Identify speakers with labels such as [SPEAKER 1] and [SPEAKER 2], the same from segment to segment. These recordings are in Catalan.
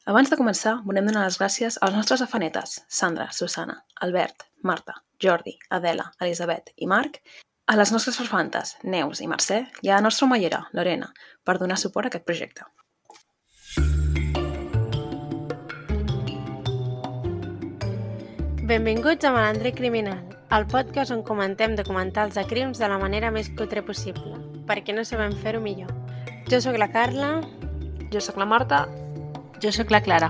[SPEAKER 1] Abans de començar, volem donar les gràcies als nostres afanetes, Sandra, Susana, Albert, Marta, Jordi, Adela, Elisabet i Marc, a les nostres farfantes, Neus i Mercè, i a la nostra omellera, Lorena, per donar suport a aquest projecte.
[SPEAKER 2] Benvinguts a Malandre Criminal, el podcast on comentem documentals de crims de la manera més cutre possible, perquè no sabem fer-ho millor. Jo sóc la Carla.
[SPEAKER 1] Jo sóc la Marta.
[SPEAKER 3] Jo sóc la Clara.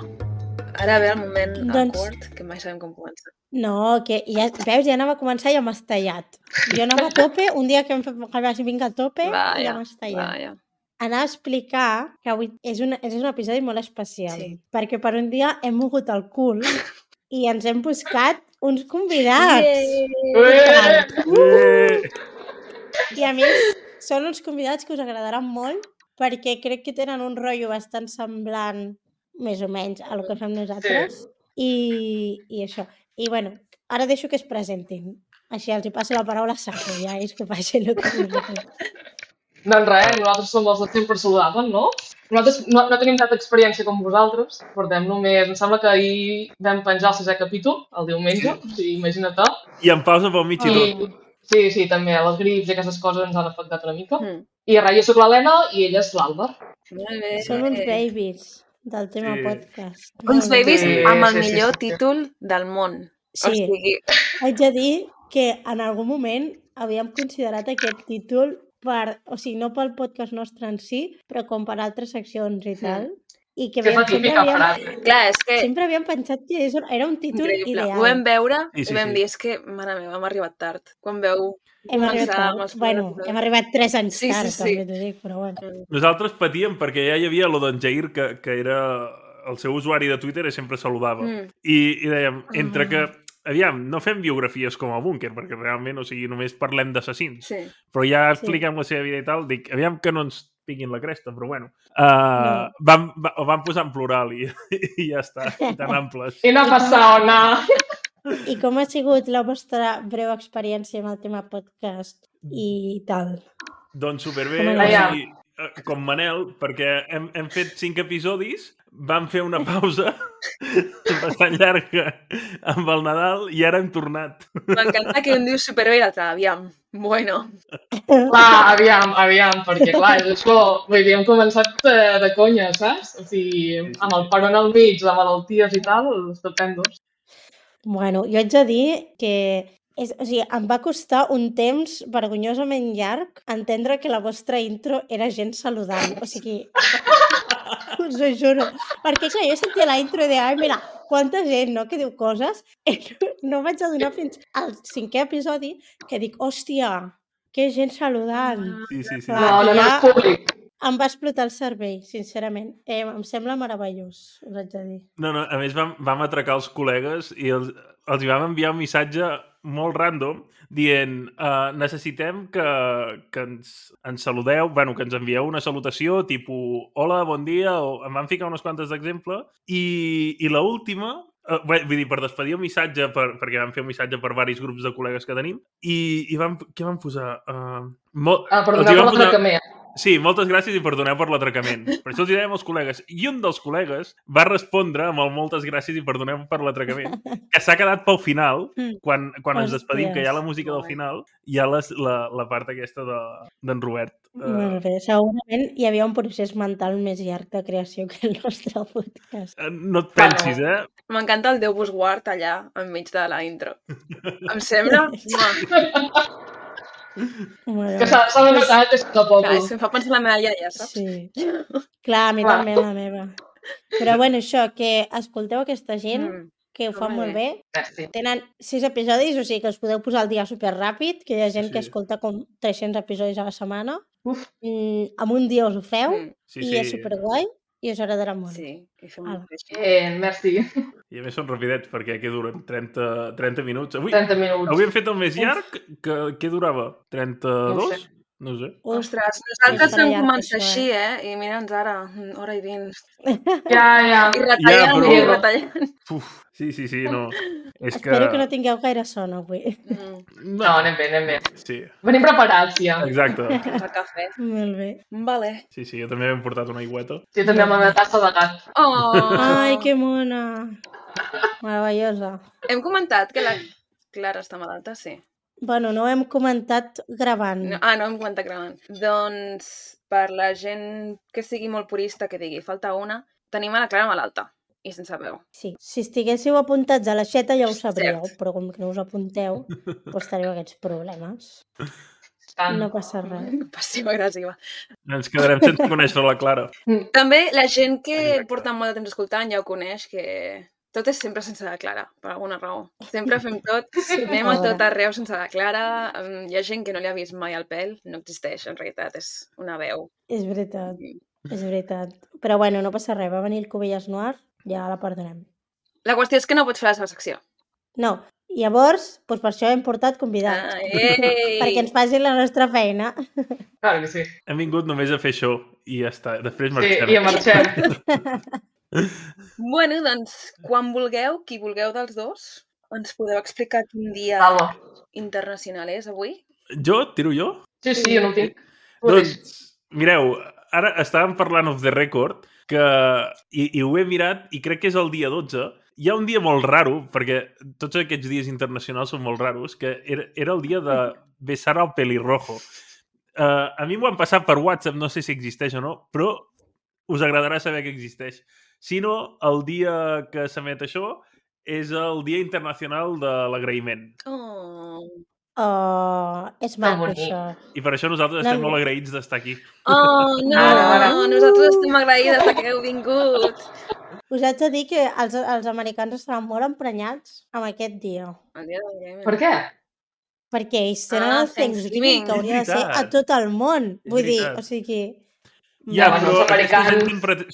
[SPEAKER 1] Ara ve el moment awkward, que mai sabem com començar.
[SPEAKER 2] No, que ja, veus, ja anava a començar i ja m'has tallat. Jo anava a tope, un dia que vas vinc a tope, ja m'has tallat. Anava a explicar que avui és un episodi molt especial, perquè per un dia hem mogut el cul i ens hem buscat uns convidats. I a més, són uns convidats que us agradaran molt perquè crec que tenen un rotllo bastant semblant, més o menys, a lo que fem nosaltres. I això. I bueno, ara deixo que es presentin. Així els hi passo la paraula a Saco, ja és que faci el que vulguin.
[SPEAKER 4] Doncs res, nosaltres som els de sempre saludables, no? Nosaltres no tenim tanta experiència com vosaltres. Portem només, em sembla que ahir vam penjar el 6è capítol, el diumenge, o sigui, imagina't.
[SPEAKER 5] I en pausa pel mig i tot.
[SPEAKER 4] Sí, també, les grips i aquestes coses ens han afectat una mica. I res, jo sóc l'Helena i ella és l'Àlvar.
[SPEAKER 2] Són uns babies del tema podcast.
[SPEAKER 1] Uns babies amb el millor títol del món.
[SPEAKER 2] Sí, o sigui... haig de dir que en algun moment havíem considerat aquest títol no pel podcast nostre en si, però com per altres seccions i tal. I que
[SPEAKER 1] clar, és que...
[SPEAKER 2] sempre havíem pensat que era un títol ideal.
[SPEAKER 1] Ho vam veure i vam dir, és que, mare meva, hem arribat tard. Quan veu...
[SPEAKER 2] Hem arribat 3 anys tard, també t'ho dic, però bueno.
[SPEAKER 5] Nosaltres patíem perquè ja hi havia lo d'en Jair, que era el seu usuari de Twitter i sempre saludava. I dèiem, entre que... Aviam, no fem biografies com a Búnquer, perquè realment, o sigui, només parlem d'assassins. Sí. Però ja expliquem la seva vida i tal, dic, aviam que no ens piquin la cresta, però bueno. Ho vam posar en plural i ja està, tan amples.
[SPEAKER 4] I no passa ona.
[SPEAKER 2] I com ha sigut la vostra breu experiència amb el tema podcast i tal?
[SPEAKER 5] Doncs superbé, o sigui, com Manel, perquè hem fet 5 episodis, vam fer una pausa bastant llarga amb el Nadal i ara hem tornat.
[SPEAKER 1] M'encanta que un diu superbé i l'altre, aviam, bueno.
[SPEAKER 4] Clar, aviam, perquè clar, és això, vull dir, hem començat de conya, saps? O sigui, amb el peron al mig, de malalties i tal, estupendos.
[SPEAKER 2] Bueno, jo haig de dir que em va costar un temps vergonyosament llarg entendre que la vostra intro era gent saludant. O sigui, us ho juro. Perquè clar, jo sentia la intro i deia, ai, mira, quanta gent, no?, que diu coses. No vaig adonar fins al 5è episodi que dic, hòstia, que gent saludant.
[SPEAKER 5] Sí.
[SPEAKER 4] No, és públic.
[SPEAKER 2] Em va explotar el cervell, sincerament. Em sembla meravellós, us haig de dir.
[SPEAKER 5] No, a més vam atracar els col·legues i els hi vam enviar un missatge molt random dient necessitem que ens saludeu, que ens envieu una salutació tipus hola, bon dia, o em van ficar unes quantes d'exemple i l'última, vull dir, per despedir el missatge, perquè vam fer un missatge per diversos grups de col·legues que tenim i què vam posar?
[SPEAKER 4] Per donar per l'atracament.
[SPEAKER 5] Sí, moltes gràcies i perdoneu per l'atracament. Per això els hi dèiem als col·legues. I un dels col·legues va respondre amb el moltes gràcies i perdoneu per l'atracament, que s'ha quedat pel final, quan ens despedim, que hi ha la música del final, hi ha la part aquesta d'en Robert.
[SPEAKER 2] Molt bé, segurament hi havia un procés mental més llarg de creació que el nostre podcast.
[SPEAKER 5] No et pensis,
[SPEAKER 1] M'encanta el Déu vos guard allà, enmig de la intro. Em sembla...
[SPEAKER 4] Que s'ha de notar que és de poc.
[SPEAKER 1] Clar, em fa pensar la meva iaia, saps?
[SPEAKER 2] Sí. Clar, a mi també la meva. Però bueno, això, que escolteu aquesta gent, que ho fa molt bé. Tenen 6 episodis, o sigui que us podeu posar al dia superràpid, que hi ha gent que escolta com 300 episodis a la setmana. En un dia us ho feu i és superguai. I us agradarà molt.
[SPEAKER 1] Sí, i fem un
[SPEAKER 4] merci.
[SPEAKER 5] I a més són rapidets, perquè què duren? 30 minuts?
[SPEAKER 4] 30 minuts.
[SPEAKER 5] Avui hem fet el més llarg, que què durava? 32? No sé.
[SPEAKER 1] Ostres, nosaltres vam començar així, I mira'ns ara, hora i 20.
[SPEAKER 4] Ja.
[SPEAKER 1] I retallant.
[SPEAKER 5] Sí, no. És
[SPEAKER 2] Espero que no tingueu gaire son avui.
[SPEAKER 4] No, anem bé.
[SPEAKER 5] Sí,
[SPEAKER 4] Venim preparats, ja.
[SPEAKER 5] exacte.
[SPEAKER 1] Tens el cafè.
[SPEAKER 2] Molt bé.
[SPEAKER 1] Vale.
[SPEAKER 5] Sí, jo també m'he portat una aigüeta.
[SPEAKER 4] Jo també amb la meva tassa de gat.
[SPEAKER 1] Oh!
[SPEAKER 2] Ai, que mona. Meravellosa.
[SPEAKER 1] Hem comentat que la Clara està malalta, sí.
[SPEAKER 2] Bueno, no ho hem comentat gravant.
[SPEAKER 1] No hem comentat gravant. Doncs, per la gent que sigui molt purista, que digui, falta una, tenim a la Clara malalta i sense veu.
[SPEAKER 2] Sí, si estiguéssiu apuntats a l'aixeta ja ho sabríeu,
[SPEAKER 1] Cert.
[SPEAKER 2] però com que no us apunteu, doncs teniu aquests problemes. No passa res.
[SPEAKER 1] Passiva-agressiva.
[SPEAKER 5] Ens quedarem sense conèixer la Clara.
[SPEAKER 1] També la gent que porta molt de temps escoltant ja ho coneix, que tot és sempre sense la Clara, per alguna raó. Sempre fem tot, anem a tot arreu sense la Clara. Hi ha gent que no li ha vist mai el pèl, no existeix, en realitat, és una veu.
[SPEAKER 2] És veritat, és veritat. Però bueno, no passa res, va venir el Cubelles Noir, ja la perdonem.
[SPEAKER 1] La qüestió és que no pots fer la seva secció.
[SPEAKER 2] No, llavors, doncs per això hem portat convidats. Perquè ens facin la nostra feina.
[SPEAKER 4] Clar que sí.
[SPEAKER 5] Hem vingut només a fer això i ja està. Després
[SPEAKER 4] Sí,
[SPEAKER 5] marxem.
[SPEAKER 4] i marxem.
[SPEAKER 1] Bueno, doncs, quan vulgueu, qui vulgueu dels dos, ens podeu explicar quin dia
[SPEAKER 4] Vale.
[SPEAKER 1] internacional és avui?
[SPEAKER 5] Jo? Tiro jo?
[SPEAKER 4] Sí, jo no ho tinc.
[SPEAKER 5] Doncs, mireu, ara estàvem parlant off the record i ho he mirat i crec que és el dia 12. Hi ha un dia molt raro, perquè tots aquests dies internacionals són molt raros, que era el dia de besar al pelirrojo. A mi m'ho han passat per WhatsApp, no sé si existeix o no, però us agradarà saber que existeix. Si no, el dia que s'emet això és el Dia Internacional de l'Agraïment.
[SPEAKER 2] És maco, això.
[SPEAKER 5] I per això nosaltres estem molt agraïts d'estar aquí.
[SPEAKER 1] Oh, no! Nosaltres estem agraïdes que heu vingut.
[SPEAKER 2] Us haig de dir que els americans estaran molt emprenyats amb aquest dia.
[SPEAKER 1] El dia de l'Agraïment.
[SPEAKER 4] Per què?
[SPEAKER 2] Perquè ells tenen el Thanksgiving, que hauria de ser a tot el món. Vull dir, o sigui...
[SPEAKER 5] Ja, però
[SPEAKER 4] els americans...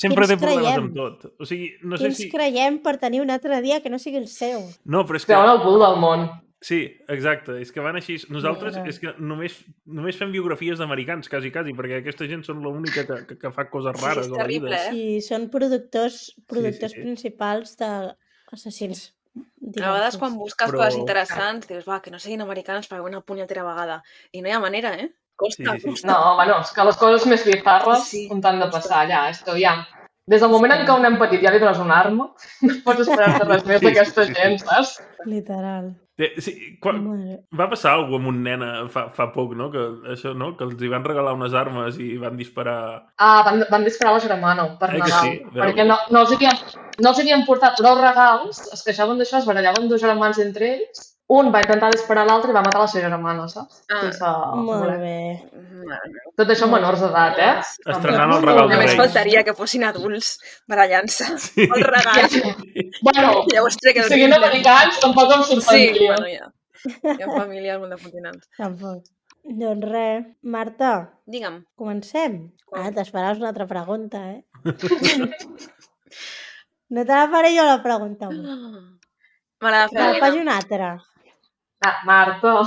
[SPEAKER 5] sempre té problemes amb tot. O sigui, no sé si...
[SPEAKER 2] Quins creiem per tenir un altre dia que no sigui el seu?
[SPEAKER 5] No, però és que...
[SPEAKER 4] Creuen el cul del món.
[SPEAKER 5] Sí, exacte. És que van així... Nosaltres és que només fem biografies d'americans, quasi, perquè aquesta gent són l'única que fa coses rares a la vida.
[SPEAKER 2] Sí, són productors principals d'assassins.
[SPEAKER 1] A vegades quan busques coses interessants dius, va, que no siguin americans per una punyetera vegada. I no hi ha manera, eh? Costa.
[SPEAKER 4] No, bueno, és que les coses més bizarres on t'han de passar allà. És que ja... Des del moment en què un nen petit ja li dones una arma, no pots esperar-te res més d'aquesta gent, saps?
[SPEAKER 2] Literal.
[SPEAKER 5] Sí, va passar alguna cosa amb un nen fa poc, no? Que això, no? Que els hi van regalar unes armes i van disparar...
[SPEAKER 4] Van disparar la germana per Nadal.
[SPEAKER 5] Sí,
[SPEAKER 4] perquè no els havien portat prou regals, es queixaven d'això, es barallaven dos germans entre ells, un va intentar disparar l'altre i va matar la seva germana, saps?
[SPEAKER 2] Molt bé.
[SPEAKER 4] Tot això menors d'edat, eh?
[SPEAKER 5] Estrenant el regal de
[SPEAKER 1] Només
[SPEAKER 5] Reis.
[SPEAKER 1] faltaria que fossin adults barallant-se el regal.
[SPEAKER 4] Bueno, siguin americans, tampoc em sorprendria.
[SPEAKER 1] Sí, bueno, ja. Hi ha famílies molt de continents.
[SPEAKER 2] Tampoc. Doncs res. Marta.
[SPEAKER 1] Digue'm.
[SPEAKER 2] Comencem? T'esperaves una altra pregunta, eh? No te la faré jo la pregunta avui.
[SPEAKER 1] Me la
[SPEAKER 2] faig una altra.
[SPEAKER 4] Marta.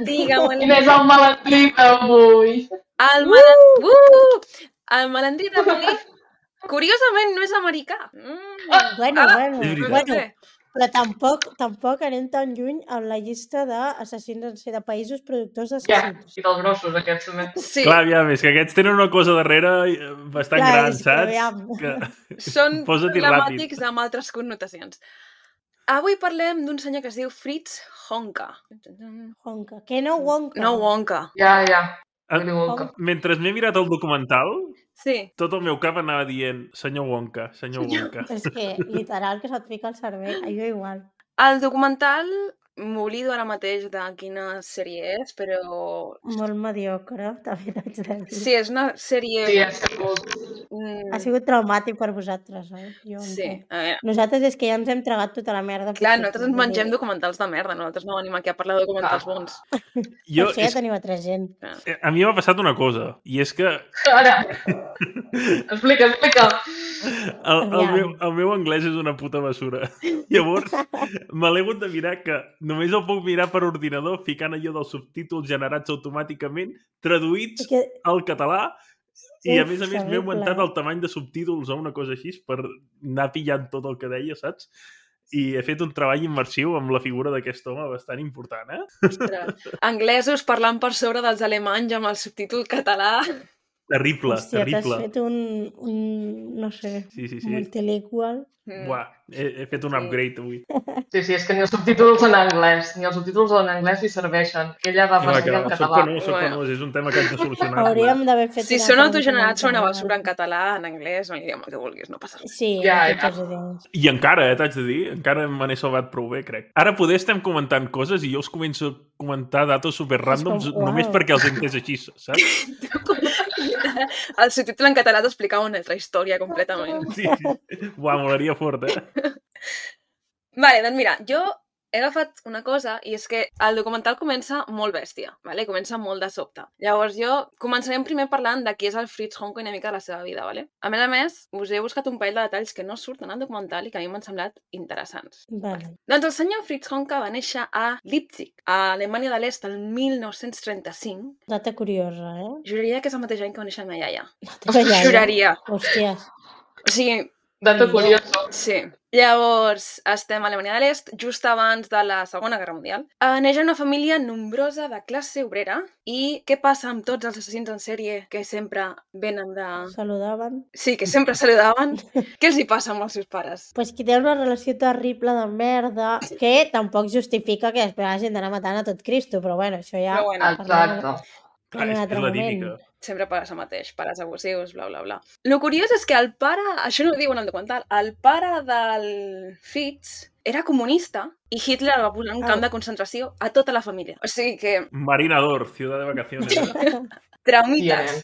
[SPEAKER 1] Digue'm.
[SPEAKER 4] Quin és el malandrí d'avui?
[SPEAKER 1] El malandrí d'avui, curiosament, no és americà.
[SPEAKER 2] Bueno. Però tampoc anem tan lluny en la llista d'assassins de països productors d'assassins.
[SPEAKER 4] I dels grossos, aquests també.
[SPEAKER 1] Sí.
[SPEAKER 5] Clar, ja, és que aquests tenen una cosa darrere bastant gran, saps?
[SPEAKER 1] Són problemàtics amb altres connotacions. Avui parlem d'un senyor que es diu Fritz Honka.
[SPEAKER 2] Honka. Que no Wonka?
[SPEAKER 1] No Wonka.
[SPEAKER 4] Ja.
[SPEAKER 5] Mentre m'he mirat el documental, tot el meu cap anava dient senyor Wonka.
[SPEAKER 2] És que, literal, que se't fica al cervell. Jo igual.
[SPEAKER 1] El documental, m'oblido ara mateix de quina sèrie és, però...
[SPEAKER 2] Molt mediocre, també t'haig de dir.
[SPEAKER 1] Sí, és una sèrie...
[SPEAKER 4] Sí, ha sigut...
[SPEAKER 2] Ha sigut traumàtic per vosaltres, oi?
[SPEAKER 1] Sí.
[SPEAKER 2] Nosaltres és que ja ens hem tragat tota la merda.
[SPEAKER 1] Clar, nosaltres ens mengem documentals de merda, nosaltres no venim aquí a parlar de documentals bons.
[SPEAKER 2] Per això ja teniu altra gent.
[SPEAKER 5] A mi m'ha passat una cosa, i és que...
[SPEAKER 4] Ara! Explica.
[SPEAKER 5] El meu anglès és una puta basura. Llavors, me l'he hagut de mirar que només el puc mirar per ordinador ficant allò dels subtítols generats automàticament, traduïts al català, i a més m'he augmentat el tamany de subtítols o una cosa així per anar pillant tot el que deia, saps? i he fet un treball immersiu amb la figura d'aquest home bastant important,
[SPEAKER 1] Ostres. Anglesos parlant per sobre dels alemanys amb el subtítol català.
[SPEAKER 5] Terrible,
[SPEAKER 2] Hòstia, t'has
[SPEAKER 5] terrible.
[SPEAKER 2] fet no sé,
[SPEAKER 5] Sí.
[SPEAKER 2] multilingual.
[SPEAKER 5] Buah, he fet un
[SPEAKER 1] Sí.
[SPEAKER 5] upgrade avui.
[SPEAKER 4] Sí, és que ni els subtítols en anglès li serveixen. Ella va
[SPEAKER 5] Clar,
[SPEAKER 4] passar
[SPEAKER 5] que
[SPEAKER 4] en
[SPEAKER 5] soc
[SPEAKER 4] català.
[SPEAKER 5] penós,
[SPEAKER 1] Bueno.
[SPEAKER 5] és un tema que hem de solucionar.
[SPEAKER 2] Hauríem d'haver fet
[SPEAKER 1] Si
[SPEAKER 2] una
[SPEAKER 1] són
[SPEAKER 2] cosa
[SPEAKER 1] autogenerats, són una
[SPEAKER 2] mental.
[SPEAKER 1] basura en català, en anglès, en l'idioma que vulguis, no passa res.
[SPEAKER 2] Sí,
[SPEAKER 4] Ja,
[SPEAKER 2] en
[SPEAKER 4] ja.
[SPEAKER 2] tots els idiomes.
[SPEAKER 5] I encara, t'haig de dir, encara me n'he salvat prou bé, crec. Ara poder estem comentant coses i jo us començo a comentar datos super randoms
[SPEAKER 2] És com,
[SPEAKER 5] només
[SPEAKER 2] uau.
[SPEAKER 5] perquè els he entès així, saps?
[SPEAKER 1] El subtítol en català t'explicava una altra història completament.
[SPEAKER 5] Sí. Buah, molaria fort,
[SPEAKER 1] Vale, doncs mira, jo he agafat una cosa i és que el documental comença molt bèstia, vale? Comença molt de sobte. Llavors jo començarem primer parlant de qui és el Fritz Honko i una mica de la seva vida, vale? A més, us he buscat un parell de detalls que no surten al documental i que a mi m'han semblat interessants.
[SPEAKER 2] Vale.
[SPEAKER 1] Doncs el senyor Fritz Honka va néixer a Leipzig, a Alemanya de l'Est, el 1935.
[SPEAKER 2] Data curiosa,
[SPEAKER 1] Juraria que és el mateix any que va néixer la meva iaia.
[SPEAKER 2] La teva iaia.
[SPEAKER 1] Juraria.
[SPEAKER 2] Hòsties.
[SPEAKER 1] O sigui,
[SPEAKER 4] Dato curioso.
[SPEAKER 1] sí. Llavors, estem a Alemanya de l'Est, just abans de la Segona Guerra Mundial. Neix en una família nombrosa de classe obrera. I què passa amb tots els assassins en sèrie que sempre venen de...
[SPEAKER 2] Saludaven.
[SPEAKER 1] Sí, que sempre saludaven? Què els hi passa amb els seus pares?
[SPEAKER 2] Pues que té una relació terrible de merda que tampoc justifica que després hagin d'anar matant a tot Cristo, però bueno, això ja...
[SPEAKER 1] Però bueno,
[SPEAKER 4] Exacte.
[SPEAKER 5] Clar,
[SPEAKER 2] En un
[SPEAKER 5] és
[SPEAKER 2] altre
[SPEAKER 5] la
[SPEAKER 2] moment.
[SPEAKER 5] típica.
[SPEAKER 1] sempre passa el mateix, pares abusius, bla, bla, bla. Lo curiós és que el pare, això no ho diuen al documental, el pare del Fritz era comunista i Hitler el va posar en un camp de concentració a tota la família. O sigui que...
[SPEAKER 5] Marinador, ciudad de vacaciones.
[SPEAKER 1] Traumites.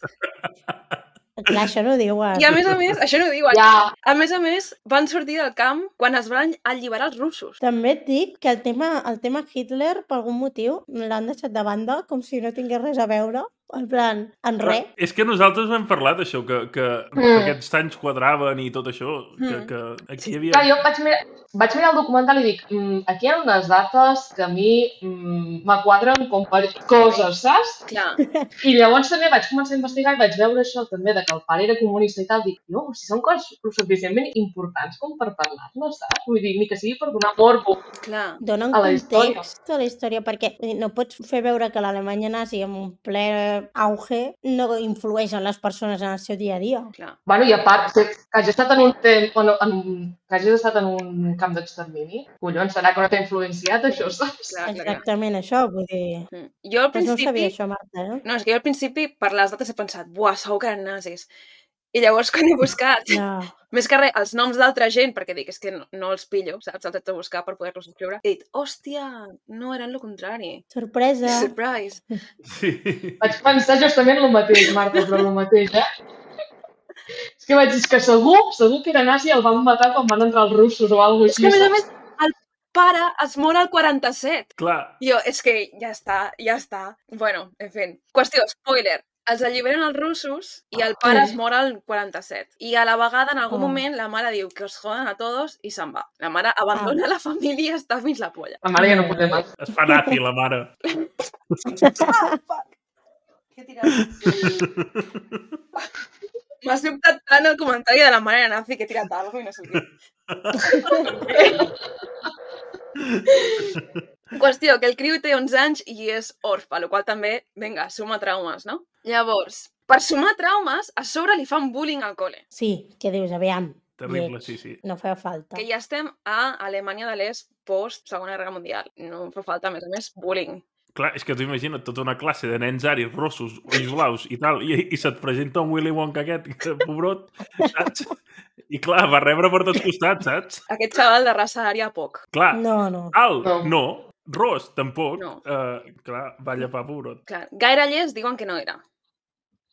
[SPEAKER 2] Clar, això no ho diuen.
[SPEAKER 1] I a més, això no ho diuen.
[SPEAKER 4] Ja.
[SPEAKER 1] A més, van sortir del camp quan es van alliberar els russos.
[SPEAKER 2] També et dic que el tema Hitler, per algun motiu, l'han deixat de banda, com si no tingués res a veure. En plan, en res.
[SPEAKER 5] És que nosaltres ho hem parlat, això, que aquests anys quadraven i tot això, que aquí hi havia...
[SPEAKER 4] Clar, jo vaig mirar el documental i dic, aquí hi ha unes dates que a mi m'quadren com per coses, saps?
[SPEAKER 1] Clar.
[SPEAKER 4] I llavors també vaig començar a investigar i vaig veure això també, de que el pare era comunista i tal. Dic, no, si són coses suficientment importants com per parlar-ne, saps? Vull dir, ni que sigui per donar morbo.
[SPEAKER 1] Clar.
[SPEAKER 2] Donen
[SPEAKER 4] A la història.
[SPEAKER 2] context a la història, perquè no pots fer veure que l'Alemanya nazi en un ple auge no influeix en les persones en el seu dia a dia.
[SPEAKER 1] Clar.
[SPEAKER 4] Bueno, i a part, que hagi estat en un temps, que hagis estat en un camp d'extermini, collons, serà que no t'ha influenciat això, saps?
[SPEAKER 1] Clar.
[SPEAKER 2] Exactament això, vull dir...
[SPEAKER 1] Jo al
[SPEAKER 2] Pues no ho sabia
[SPEAKER 1] principi...
[SPEAKER 2] això, Marta, eh?
[SPEAKER 1] No, és que jo al principi, per les dates, he pensat, buah, segur que eren nazis. I llavors, quan he buscat,
[SPEAKER 2] No.
[SPEAKER 1] més que res, els noms d'altra gent, perquè dic, és que no els pillo, saps? Els haig de buscar per poder-los escriure. He dit, hòstia, no, eren el contrari.
[SPEAKER 2] Sorpresa.
[SPEAKER 1] Surprise.
[SPEAKER 5] Sí.
[SPEAKER 4] Vaig pensar justament el mateix, Marta, però el mateix, És que vaig dir que segur que era nazi i el van matar quan van entrar els russos o alguna
[SPEAKER 1] És
[SPEAKER 4] cosa
[SPEAKER 1] que, a
[SPEAKER 4] així.
[SPEAKER 1] més, el pare es mor al 47.
[SPEAKER 5] Clar,
[SPEAKER 1] Jo, és que ja està. Bueno, en fi. Qüestió, spoiler. Els alliberen els russos i el pare es mor al 47. I a la vegada, en algun moment, la mare diu que os jodan a todos i se'n va. La mare abandona la família i està fins la polla.
[SPEAKER 4] La mare ja no pot més.
[SPEAKER 5] es fa nazi, la mare.
[SPEAKER 1] Què M'ha sobtat tant el comentari de la mare nazi que he tirat algo i no sé què. Qüestió, que el criu té 11 anys i és orfa, el qual també, vinga, suma traumes, no? Llavors, per sumar traumes, a sobre li fan bullying al col·le.
[SPEAKER 2] Sí, què dius? Aviam.
[SPEAKER 5] Terrible,
[SPEAKER 2] lleig.
[SPEAKER 5] sí.
[SPEAKER 2] No feia falta.
[SPEAKER 1] Que ja estem a Alemanya de l'Est post-Segona Guerra Mundial. No fa falta, a més, bullying.
[SPEAKER 5] Clar, és que tu imagina't tota una classe de nens aris, rossos, ulls blaus i tal, i se't presenta un Willy Wonka aquest, que pobrot, saps? I clar, va rebre per tots costats, saps?
[SPEAKER 1] Aquest xaval de raça ària, poc.
[SPEAKER 5] Clar,
[SPEAKER 2] No.
[SPEAKER 5] alt,
[SPEAKER 4] No.
[SPEAKER 5] no. Ros, tampoc.
[SPEAKER 1] No.
[SPEAKER 5] Clar, va llepar, pobrot.
[SPEAKER 1] Clar, gaire llest diuen que no era.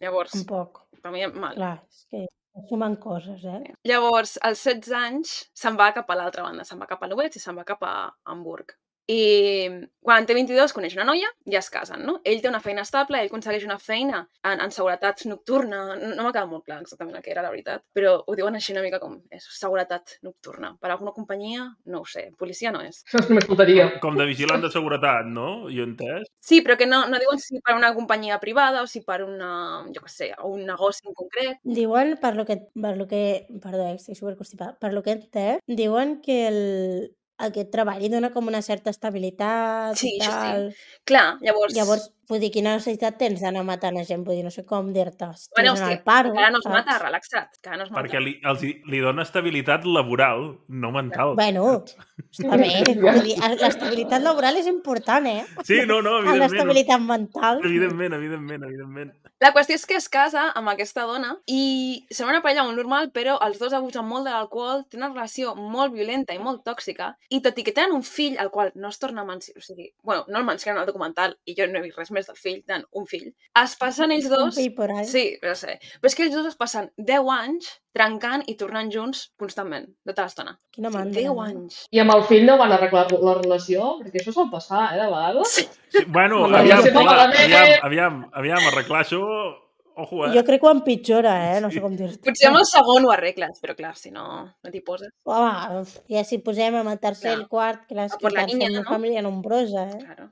[SPEAKER 1] Llavors,
[SPEAKER 2] Tampoc.
[SPEAKER 1] per mi, mal.
[SPEAKER 2] Clar, és que sumen coses, eh?
[SPEAKER 1] Llavors, als 16 anys, se'n va cap a l'altra banda. Se'n va cap a Lübeck i se'n va cap a Hamburg. I quan té 22 coneix una noia i es casen, no? Ell té una feina estable, ell aconsegueix una feina en seguretat nocturna. No m'ha quedat molt clar exactament el que era, la veritat, però ho diuen així una mica com és seguretat nocturna. Per alguna companyia, no ho sé, policia no és.
[SPEAKER 4] Això només faltaria.
[SPEAKER 5] Com de vigilant de seguretat, no? Jo he entès.
[SPEAKER 1] Sí, però que no diuen si per una companyia privada o si per una, jo què sé, un negoci en concret.
[SPEAKER 2] Diuen, per lo que perdó, estic superconstipada, per lo que he entès, diuen que aquest treball li dona com una certa estabilitat
[SPEAKER 1] Sí,
[SPEAKER 2] i
[SPEAKER 1] això sí.
[SPEAKER 2] tal.
[SPEAKER 1] Clar, llavors...
[SPEAKER 2] Llavors, vull dir, quina necessitat tens d'anar matant a gent? Vull dir, no sé com dir-te.
[SPEAKER 1] Bueno,
[SPEAKER 2] Estàs en
[SPEAKER 1] hosti,
[SPEAKER 2] el paro,
[SPEAKER 1] encara no es mata,
[SPEAKER 2] saps?
[SPEAKER 1] relaxa't, encara no es mata.
[SPEAKER 5] Perquè li dona estabilitat laboral, no mental.
[SPEAKER 2] Bueno, està bé. Vull dir, l'estabilitat laboral és important, eh?
[SPEAKER 5] Sí, no, evidentment.
[SPEAKER 2] L'estabilitat mental.
[SPEAKER 5] Evidentment.
[SPEAKER 1] La qüestió és que es casa amb aquesta dona i sembla una parella molt normal, però els dos abusen molt de l'alcohol, tenen una relació molt violenta i molt tòxica, i tot i que tenen un fill, al qual no es torna a mencionar, o sigui, bueno, no el mencionen al documental, i jo no he vist res més del fill, tenen un fill, es passen ells dos...
[SPEAKER 2] Un fill por ahí.
[SPEAKER 1] Sí, però sé. Però és que ells dos es passen 10 anys trencant i tornant junts constantment, tota l'estona.
[SPEAKER 2] Quina mandra.
[SPEAKER 1] 10 anys.
[SPEAKER 4] I amb el fill no van arreglar la relació? Perquè això sol passar, de vegades.
[SPEAKER 5] Sí, bueno,
[SPEAKER 2] Bueno,
[SPEAKER 5] aviam, arreglar això... Ojo,
[SPEAKER 2] Jo crec que ho empitjora, no sé com dir-te.
[SPEAKER 1] Potser amb el segon ho arregles, però clar, si no t'hi poses.
[SPEAKER 2] Home, ja si posem amb el tercer i el quart, clar, és
[SPEAKER 1] O
[SPEAKER 2] que
[SPEAKER 1] per la
[SPEAKER 2] clar,
[SPEAKER 1] niña,
[SPEAKER 2] som una
[SPEAKER 1] no?
[SPEAKER 2] família nombrosa,
[SPEAKER 1] Claro.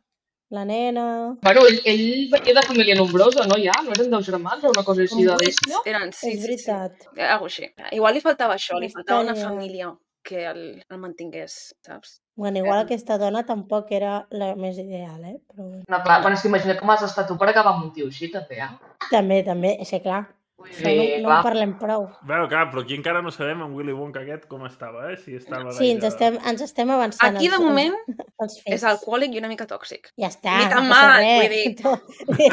[SPEAKER 2] La nena...
[SPEAKER 4] Bueno, ell venia de família nombrosa, no? Ja? No eren 2 germans o una cosa així de bèstia?
[SPEAKER 1] Eren, sí,
[SPEAKER 2] És veritat.
[SPEAKER 1] Sí. Algo així. Igual li faltava això, li faltava una
[SPEAKER 2] Hòstia.
[SPEAKER 1] família que el mantingués, saps?
[SPEAKER 2] Bueno, igual aquesta dona tampoc era la més ideal, Però bueno.
[SPEAKER 4] No, clar, bueno, és que imagina com has estat tu per acabar amb un tio així, també,
[SPEAKER 2] També, sí, clar.
[SPEAKER 4] Vull
[SPEAKER 2] Això
[SPEAKER 4] dir,
[SPEAKER 2] no
[SPEAKER 4] clar.
[SPEAKER 2] en parlem prou.
[SPEAKER 5] Bueno, clar, però aquí encara no sabem en Willy Wonka aquest com estava, Si estava
[SPEAKER 2] Sí,
[SPEAKER 5] gaire...
[SPEAKER 2] ens estem avançant.
[SPEAKER 1] Aquí, de moment,
[SPEAKER 2] els fets.
[SPEAKER 1] és alcohòlic i una mica tòxic.
[SPEAKER 2] Ja està.
[SPEAKER 1] Ni tan
[SPEAKER 2] no passa
[SPEAKER 1] mal,
[SPEAKER 2] res.
[SPEAKER 1] vull dir,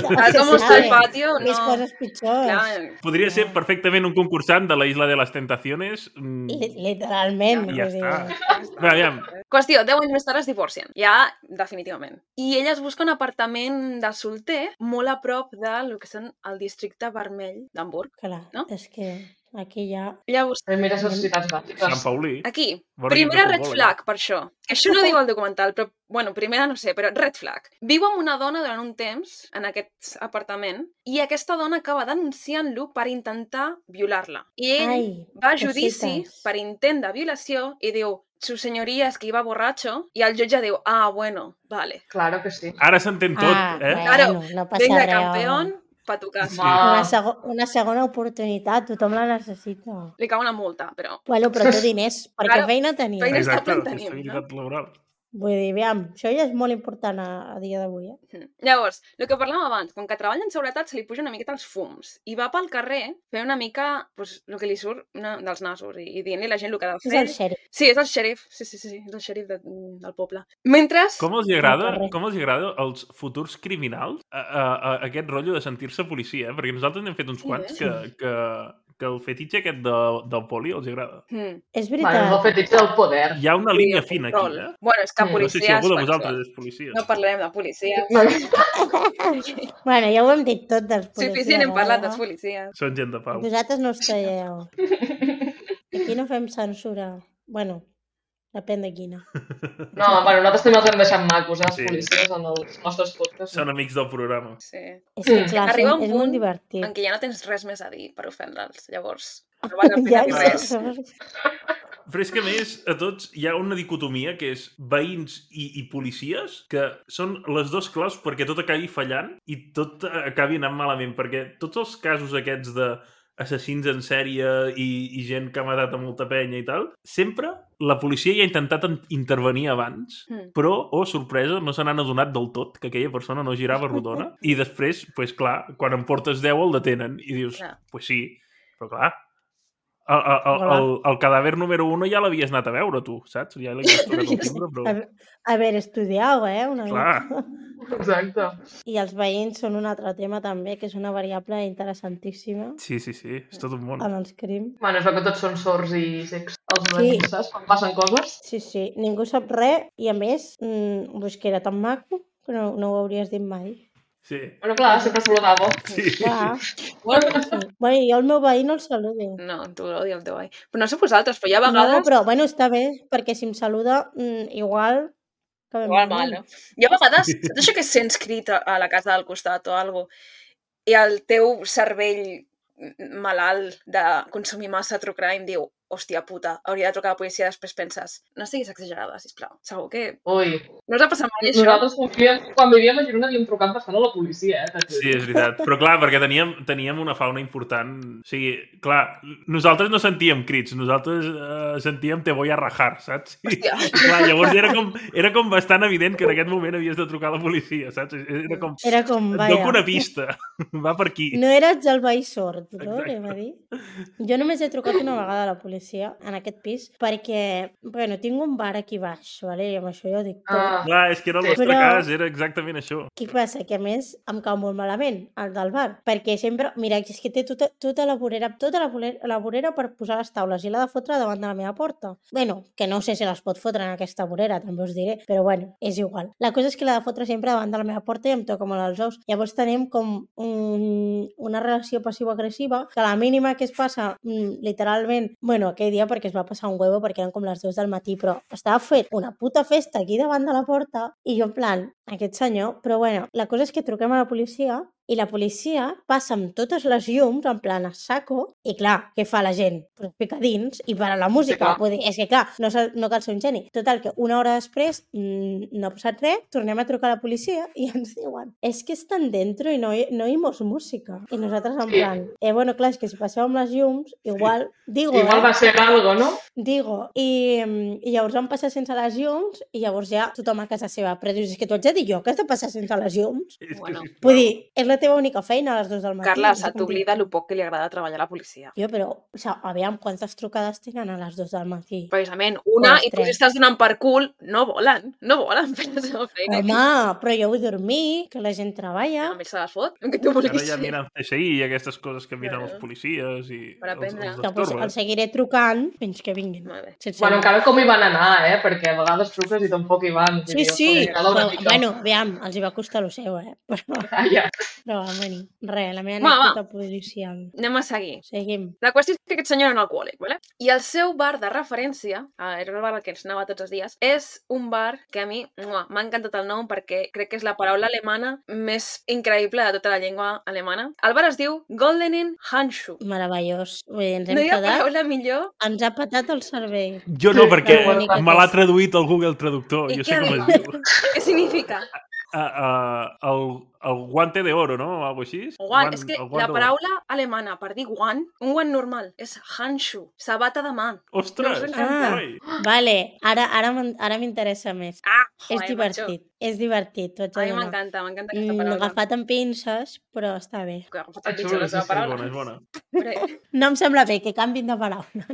[SPEAKER 2] No
[SPEAKER 1] Tal
[SPEAKER 2] se
[SPEAKER 1] com està
[SPEAKER 2] sabe.
[SPEAKER 1] el patio, no...
[SPEAKER 2] Més coses pitjors.
[SPEAKER 1] Clar,
[SPEAKER 5] Podria ser perfectament un concursant de la Isla de les Tentaciones.
[SPEAKER 2] Literalment.
[SPEAKER 5] I ja
[SPEAKER 2] vull dir.
[SPEAKER 5] està. Bé, aviam,
[SPEAKER 1] Qüestió, 10 anys més tard es divorcien, ja definitivament. I ella es busca un apartament de solter molt a prop del que són el districte vermell d'Hamburg.
[SPEAKER 2] Clar,
[SPEAKER 1] No?
[SPEAKER 2] és que aquí ja...
[SPEAKER 1] Llavors,
[SPEAKER 4] Primeres necessitats
[SPEAKER 5] Sant
[SPEAKER 4] bàsiques.
[SPEAKER 5] Paulí.
[SPEAKER 1] aquí,
[SPEAKER 5] Bon
[SPEAKER 1] primera
[SPEAKER 5] equip de
[SPEAKER 1] red
[SPEAKER 5] futbol,
[SPEAKER 1] flag per això. Que això no diu el documental, però, bueno, primera no sé, però red flag. Viu amb una dona durant un temps en aquest apartament i aquesta dona acaba denunciant-lo per intentar violar-la. I ell
[SPEAKER 2] Ai,
[SPEAKER 1] va a judici
[SPEAKER 2] cositas.
[SPEAKER 1] per intent de violació i diu, su señoría es que iba borracho, i el jutge diu, ah, bueno, vale.
[SPEAKER 4] Claro que sí.
[SPEAKER 5] Ara s'entén tot,
[SPEAKER 2] Bueno,
[SPEAKER 1] Claro,
[SPEAKER 2] no passa
[SPEAKER 1] Venga,
[SPEAKER 2] res.
[SPEAKER 1] campeón, pa tu casa.
[SPEAKER 4] Va.
[SPEAKER 2] Una segona oportunitat, tothom la necessita.
[SPEAKER 1] Li cau una multa, però...
[SPEAKER 2] Bueno, però té diners, perquè
[SPEAKER 1] Claro,
[SPEAKER 2] feina tenia.
[SPEAKER 1] feina-
[SPEAKER 5] Exacte,
[SPEAKER 1] Estable tenim,
[SPEAKER 5] estabilitat laboral.
[SPEAKER 2] Vull dir, aviam, això ja és molt important a dia d'avui,
[SPEAKER 1] Llavors, el que parlàvem abans, com que treballa en seguretat se li puja una miqueta els fums i va pel carrer fent una mica pues, el que li surt dels nasos i dient-li a la gent el que ha de
[SPEAKER 2] És
[SPEAKER 1] fer.
[SPEAKER 2] el xèrif.
[SPEAKER 1] Sí, és el xèrif, sí, és el xèrif del poble. Mentre...
[SPEAKER 5] Com els agrada als futurs criminals aquest rotllo de sentir-se policia, Perquè nosaltres n'hem fet uns quants que el fetitxe aquest del poli els agrada.
[SPEAKER 2] És
[SPEAKER 4] Bueno, és el
[SPEAKER 2] veritat.
[SPEAKER 4] fetitxe del poder.
[SPEAKER 5] Hi ha una línia fina aquí,
[SPEAKER 1] Bueno, és que
[SPEAKER 4] No sé
[SPEAKER 5] No sé si
[SPEAKER 1] policies...
[SPEAKER 5] algú de
[SPEAKER 1] bueno,
[SPEAKER 5] vosaltres és policia.
[SPEAKER 1] no parlarem de policies.
[SPEAKER 2] Bueno, ja ho hem dit tot dels policies.
[SPEAKER 1] Suficient hem parlat
[SPEAKER 2] ara.
[SPEAKER 1] dels policies.
[SPEAKER 5] Són gent de pau.
[SPEAKER 2] Vosaltres no us traieu. Aquí no fem censura. Bueno, depèn de quina.
[SPEAKER 4] No, bueno, nosaltres també els hem deixat macos, els
[SPEAKER 5] Sí.
[SPEAKER 4] policies, en els nostres podcasts.
[SPEAKER 5] Són amics del programa.
[SPEAKER 1] Sí.
[SPEAKER 2] És que, clar,
[SPEAKER 1] Arriba un
[SPEAKER 2] és
[SPEAKER 1] punt
[SPEAKER 2] molt divertit.
[SPEAKER 1] en què ja no tens res més a dir per ofendre'ls. Llavors, no vas a fer
[SPEAKER 2] Ja,
[SPEAKER 1] res.
[SPEAKER 5] Però és que, a més, a tots hi ha una dicotomia que és veïns i policies, que són les dos claus perquè tot acabi fallant i tot acabi anant malament, perquè tots els casos aquests d'assassins en sèrie i gent que ha matat a molta penya i tal, sempre la policia ja ha intentat intervenir abans, però, sorpresa, no se n'han adonat del tot que aquella persona no girava rodona i després, pues, clar, quan en portes 10 el detenen i dius,
[SPEAKER 1] Clar.
[SPEAKER 5] pues sí, però clar, el cadàver número 1 ja l'havies anat a veure, tu, saps? Ja l'havies tocat el timbre, però...
[SPEAKER 2] Haver estudiat, una
[SPEAKER 5] Clar.
[SPEAKER 2] mica.
[SPEAKER 4] Exacte.
[SPEAKER 2] I els veïns són un altre tema també, que és una variable interessantíssima
[SPEAKER 5] Sí, és tot un món.
[SPEAKER 2] en els crims.
[SPEAKER 4] Bueno, és que tots són sords i cecs, els
[SPEAKER 2] Sí.
[SPEAKER 4] veïns, saps? Quan passen coses.
[SPEAKER 2] Sí, ningú sap res i a més, pues que era tan maco que no ho hauries dit mai.
[SPEAKER 5] Sí.
[SPEAKER 4] Bueno, clar, sempre saludava.
[SPEAKER 5] Sí.
[SPEAKER 2] Clar,
[SPEAKER 1] Bueno,
[SPEAKER 2] sí. Bueno, jo el meu veí no el saludo.
[SPEAKER 1] no, tu l'odio el teu veí. Però no sé vosaltres, però hi ha
[SPEAKER 2] No,
[SPEAKER 1] vegades...
[SPEAKER 2] però bueno, està bé, perquè si em saluda, igual... acabem
[SPEAKER 1] Igual
[SPEAKER 2] malament.
[SPEAKER 1] mal, no? Hi ha vegades, saps això que sents crit a la casa del costat o alguna cosa, i el teu cervell malalt de consumir massa true crime diu hòstia puta, hauria de trucar a la policia, després penses, no siguis exagerada, sisplau. Segur que...
[SPEAKER 4] Ui.
[SPEAKER 1] No us ha passat mai això?
[SPEAKER 4] Nosaltres confiem... Quan vivíem a Girona havíem trucat bastant a la policia,
[SPEAKER 5] Sí, és veritat. Però clar, perquè teníem una fauna important. O sigui, clar, nosaltres no sentíem crits, nosaltres sentíem te voy a rajar, saps?
[SPEAKER 1] Hòstia.
[SPEAKER 5] Clar, llavors era com bastant evident que en aquest moment havies de trucar a la policia, saps?
[SPEAKER 2] Era com,
[SPEAKER 5] et
[SPEAKER 2] vaja.
[SPEAKER 5] dono una pista, va per aquí.
[SPEAKER 2] No eres el veí sord, no?
[SPEAKER 5] Exacte.
[SPEAKER 2] Anem a dir. Jo només he trucat una vegada a la policia en aquest pis perquè, bueno, tinc un bar aquí baix, vale? I amb això ja ho dic tot.
[SPEAKER 5] Clar, és que era el nostre cas, era exactament això.
[SPEAKER 2] Què passa? Que a més em cau molt malament el del bar, perquè sempre, mira, és que té tota la vorera per posar les taules i l'ha de fotre davant de la meva porta. Bueno, que no sé si les pot fotre en aquesta vorera, també us diré, però bueno, és igual. La cosa és que l'ha de fotre sempre davant de la meva porta i em toca molt els ous. Llavors tenim com una relació passiva-agressiva, que a la mínima que es passa, literalment, bueno, aquell dia perquè es va passar un huevo perquè eren com les 2 del matí, però estava fet una puta festa aquí davant de la porta i jo en plan, aquest senyor, però bueno, la cosa és que truquem a la policia i la policia passa amb totes les llums en plan a saco i clar, què fa la gent? Pues pica dins i para la música. Vull dir, és que clar, no cal ser un geni. Total, que una hora després no ha passat res, tornem a trucar a la policia i ens diuen, és que estan dentro i no oímos música. I nosaltres en plan, bueno, clar, és que si passeu amb les llums, igual, digo,
[SPEAKER 4] igual va ser algo, no?
[SPEAKER 2] Digo, i llavors vam passar sense les llums i llavors ja tothom a casa seva. Però dius, és que tu haig de dir jo que has de passar sense les llums?
[SPEAKER 1] Bueno.
[SPEAKER 2] Vull dir, és la teva única feina a les 2 del matí.
[SPEAKER 1] Carla, se t'oblida el poc que li agrada treballar a la policia.
[SPEAKER 2] Jo, però, o sigui, aviam, quantes trucades tenen a les 2 del matí?
[SPEAKER 1] Precisament, una,
[SPEAKER 2] Les
[SPEAKER 1] i tu
[SPEAKER 2] tres.
[SPEAKER 1] estàs donant per cul, no volen fer la seva feina.
[SPEAKER 2] Home, però jo vull dormir, que la gent treballa.
[SPEAKER 1] A mi se les fot, que tu vulguis
[SPEAKER 5] Ara ja
[SPEAKER 1] fer.
[SPEAKER 5] miren CSI i aquestes coses que miren els policies i
[SPEAKER 1] Per aprendre.
[SPEAKER 2] Que pues, els seguiré trucant fins que vinguin.
[SPEAKER 1] Molt bé.
[SPEAKER 2] Sense
[SPEAKER 4] Bueno, encara com hi van anar, perquè a vegades truques i tampoc hi van.
[SPEAKER 2] Sí, sí, però, bueno, aviam, els hi va costar el seu, però,
[SPEAKER 4] Ja.
[SPEAKER 2] però bueno, res, la meva
[SPEAKER 1] Va, va.
[SPEAKER 2] anècdota policial.
[SPEAKER 1] Anem a seguir.
[SPEAKER 2] Seguim.
[SPEAKER 1] La qüestió és que aquest senyor era un alcohòlic, ¿vale? I el seu bar de referència, era el bar al que ens anava tots els dies, és un bar que a mi m'ha encantat el nom perquè crec que és la paraula alemana més increïble de tota la llengua alemana. El bar es diu Goldenen Handschuh.
[SPEAKER 2] Meravellós. Vull dir, ens hem
[SPEAKER 1] No hi ha
[SPEAKER 2] quedat,
[SPEAKER 1] paraula millor.
[SPEAKER 2] ens ha patat el cervell.
[SPEAKER 5] Jo no, perquè
[SPEAKER 2] l'única
[SPEAKER 5] me l'ha
[SPEAKER 2] cosa.
[SPEAKER 5] traduït el Google Traductor.
[SPEAKER 1] I
[SPEAKER 5] Jo
[SPEAKER 1] què
[SPEAKER 5] sé com
[SPEAKER 1] diu?
[SPEAKER 5] es diu.
[SPEAKER 1] Què significa?
[SPEAKER 5] El guante de oro, no? O alguna així?
[SPEAKER 1] Guant. És que
[SPEAKER 5] el
[SPEAKER 1] la
[SPEAKER 5] guant d'or.
[SPEAKER 1] paraula alemana per dir guant, un guant normal, és Handschuh, sabata de mà.
[SPEAKER 5] Ostres!
[SPEAKER 1] No us encanta?
[SPEAKER 5] Oi.
[SPEAKER 2] Vale, ara m'interessa més.
[SPEAKER 1] Ah,
[SPEAKER 2] És
[SPEAKER 1] joder,
[SPEAKER 2] divertit, és divertit, t'ho haig
[SPEAKER 1] macho. A
[SPEAKER 2] de
[SPEAKER 1] mi
[SPEAKER 2] donar.
[SPEAKER 1] m'encanta aquesta paraula.
[SPEAKER 2] Agafat amb pinces, però està bé.
[SPEAKER 1] Que ha agafat
[SPEAKER 4] Ah,
[SPEAKER 1] el pitjor
[SPEAKER 4] xulo,
[SPEAKER 1] la seva
[SPEAKER 5] És
[SPEAKER 1] paraula.
[SPEAKER 5] bona, és bona.
[SPEAKER 1] Però-
[SPEAKER 2] No em sembla bé que canvin de paraula.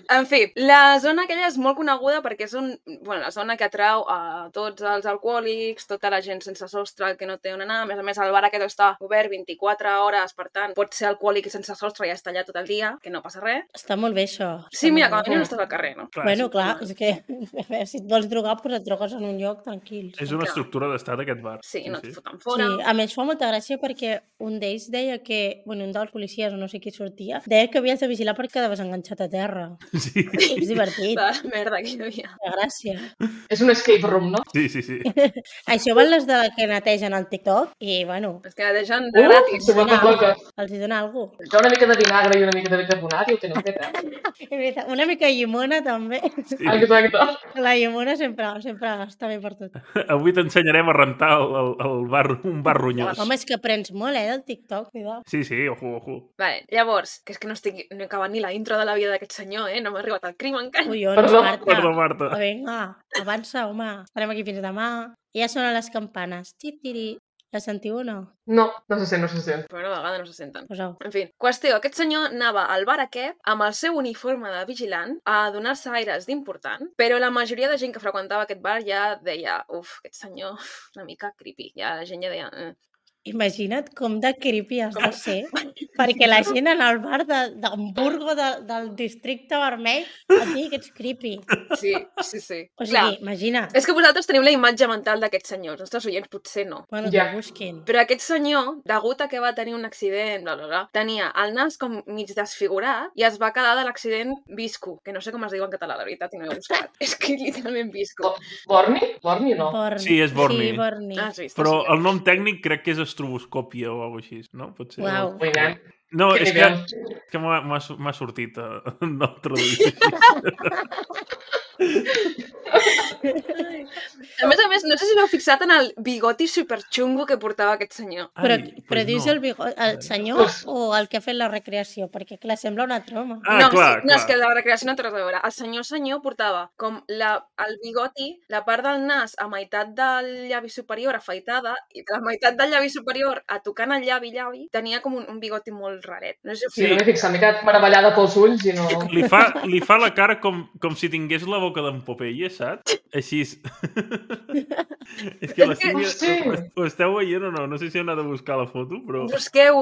[SPEAKER 1] En fi, la zona aquella és molt coneguda perquè és la zona que atrau a tots els alcohòlics, tota la gent sense sostre que no té on anar. A més, el bar aquest està obert 24 hores, per tant, pots ser alcohòlic i sense sostre i estar allà tot el dia, que no passa res.
[SPEAKER 2] Està molt bé, això.
[SPEAKER 1] Sí,
[SPEAKER 2] Està
[SPEAKER 1] mira,
[SPEAKER 2] molt
[SPEAKER 1] com a
[SPEAKER 2] bé.
[SPEAKER 1] mínim no estàs al carrer, no?
[SPEAKER 5] Clar,
[SPEAKER 2] Bueno, clar, és que a veure, si et vols drogar, doncs et drogues en un lloc tranquil.
[SPEAKER 5] és una
[SPEAKER 1] clar.
[SPEAKER 5] estructura d'estat, aquest bar.
[SPEAKER 1] Sí, no et foten
[SPEAKER 2] Sí,
[SPEAKER 1] fora.
[SPEAKER 2] a més fa molta gràcia perquè un d'ells deia que, bueno, un dels policies o no sé qui sortia, deia que havies de vigilar perquè quedaves enganxat a terra.
[SPEAKER 5] Sí,
[SPEAKER 2] És divertit,
[SPEAKER 1] La merda que hi havia.
[SPEAKER 2] de gràcia.
[SPEAKER 4] És un escape room, no?
[SPEAKER 5] sí, sí. sí.
[SPEAKER 2] Això van les de que netegen el TikTok i, bueno,
[SPEAKER 1] És que netegen de gratis.
[SPEAKER 4] Se vuelve loca.
[SPEAKER 2] els hi dona alguna cosa.
[SPEAKER 4] Jo una mica de vinagre i una mica de bicarbonat i ho tenen fet,
[SPEAKER 2] És veritat, una mica de llimona també.
[SPEAKER 5] Sí.
[SPEAKER 4] Exacte.
[SPEAKER 2] La llimona sempre està bé per tot.
[SPEAKER 5] Avui t'ensenyarem a rentar un bar ronyós.
[SPEAKER 2] Home, és que aprens molt, del TikTok, cuidao.
[SPEAKER 5] Sí, sí, ojo.
[SPEAKER 1] Vale, llavors, que és que no he acabat ni la intro de la vida d'aquest senyor, no m'ha arribat al crim encara.
[SPEAKER 2] Collons,
[SPEAKER 4] Perdó,
[SPEAKER 2] Marta.
[SPEAKER 5] Perdó, Marta.
[SPEAKER 2] Vinga, avança, home. Estarem aquí fins demà. Ja sonen les campanes. Titiri. La sentiu o no?
[SPEAKER 4] No se sent, no se sent.
[SPEAKER 1] Però una vegada no se senten.
[SPEAKER 2] Poseu.
[SPEAKER 1] En fi, qüestió, aquest senyor anava al bar aquest amb el seu uniforme de vigilant a donar-se aires d'important, però la majoria de gent que freqüentava aquest bar ja deia, aquest senyor, una mica creepy. Ja la gent ja deia...
[SPEAKER 2] Imagina't com de creepy has de ser perquè la gent en el bar d'Hamburgo del districte vermell et digui que ets creepy.
[SPEAKER 1] Sí.
[SPEAKER 2] O sigui,
[SPEAKER 1] Clar,
[SPEAKER 2] imagina't.
[SPEAKER 1] és que vosaltres teniu la imatge mental d'aquest senyor, els nostres oients potser no.
[SPEAKER 2] Bueno,
[SPEAKER 4] Ja.
[SPEAKER 2] que busquin.
[SPEAKER 1] Però aquest senyor, degut a que va tenir un accident, tenia el nas com mig desfigurat i es va quedar de l'accident visco, que no sé com es diu en català, la veritat, i no he buscat. És que literalment visco.
[SPEAKER 4] Borni? Borni no.
[SPEAKER 2] Borni.
[SPEAKER 5] Sí, és Borni.
[SPEAKER 2] Sí, Borni.
[SPEAKER 1] Has vist?
[SPEAKER 5] Però el nom tècnic crec que és estroboscòpia o alguna cosa així, no? Pot ser.
[SPEAKER 2] Uau.
[SPEAKER 4] Ui, nen.
[SPEAKER 5] No,
[SPEAKER 4] Que
[SPEAKER 5] és
[SPEAKER 4] nivell.
[SPEAKER 5] que m'ha sortit no traduir així.
[SPEAKER 1] A més, no sé si l'heu fixat en el bigoti superxungo que portava aquest senyor.
[SPEAKER 2] Però dius
[SPEAKER 5] no.
[SPEAKER 2] el senyor o el que ha fet la recreació? Perquè, clar, sembla una troma.
[SPEAKER 5] Ah, clar,
[SPEAKER 1] no, és que la recreació no té res a veure. El senyor portava com el bigoti, la part del nas a meitat del llavi superior afaitada i la meitat del llavi superior a tocant el llavi, tenia com un bigoti molt raret. No sé si
[SPEAKER 4] Sí, no m'he fixat, m'he quedat meravellada pels ulls i no...
[SPEAKER 5] Li fa la cara com si tingués la boca d'en Popeye, saps? Així. És que ho esteu veient o no? No sé si heu anat a buscar la foto, però...
[SPEAKER 1] Busqueu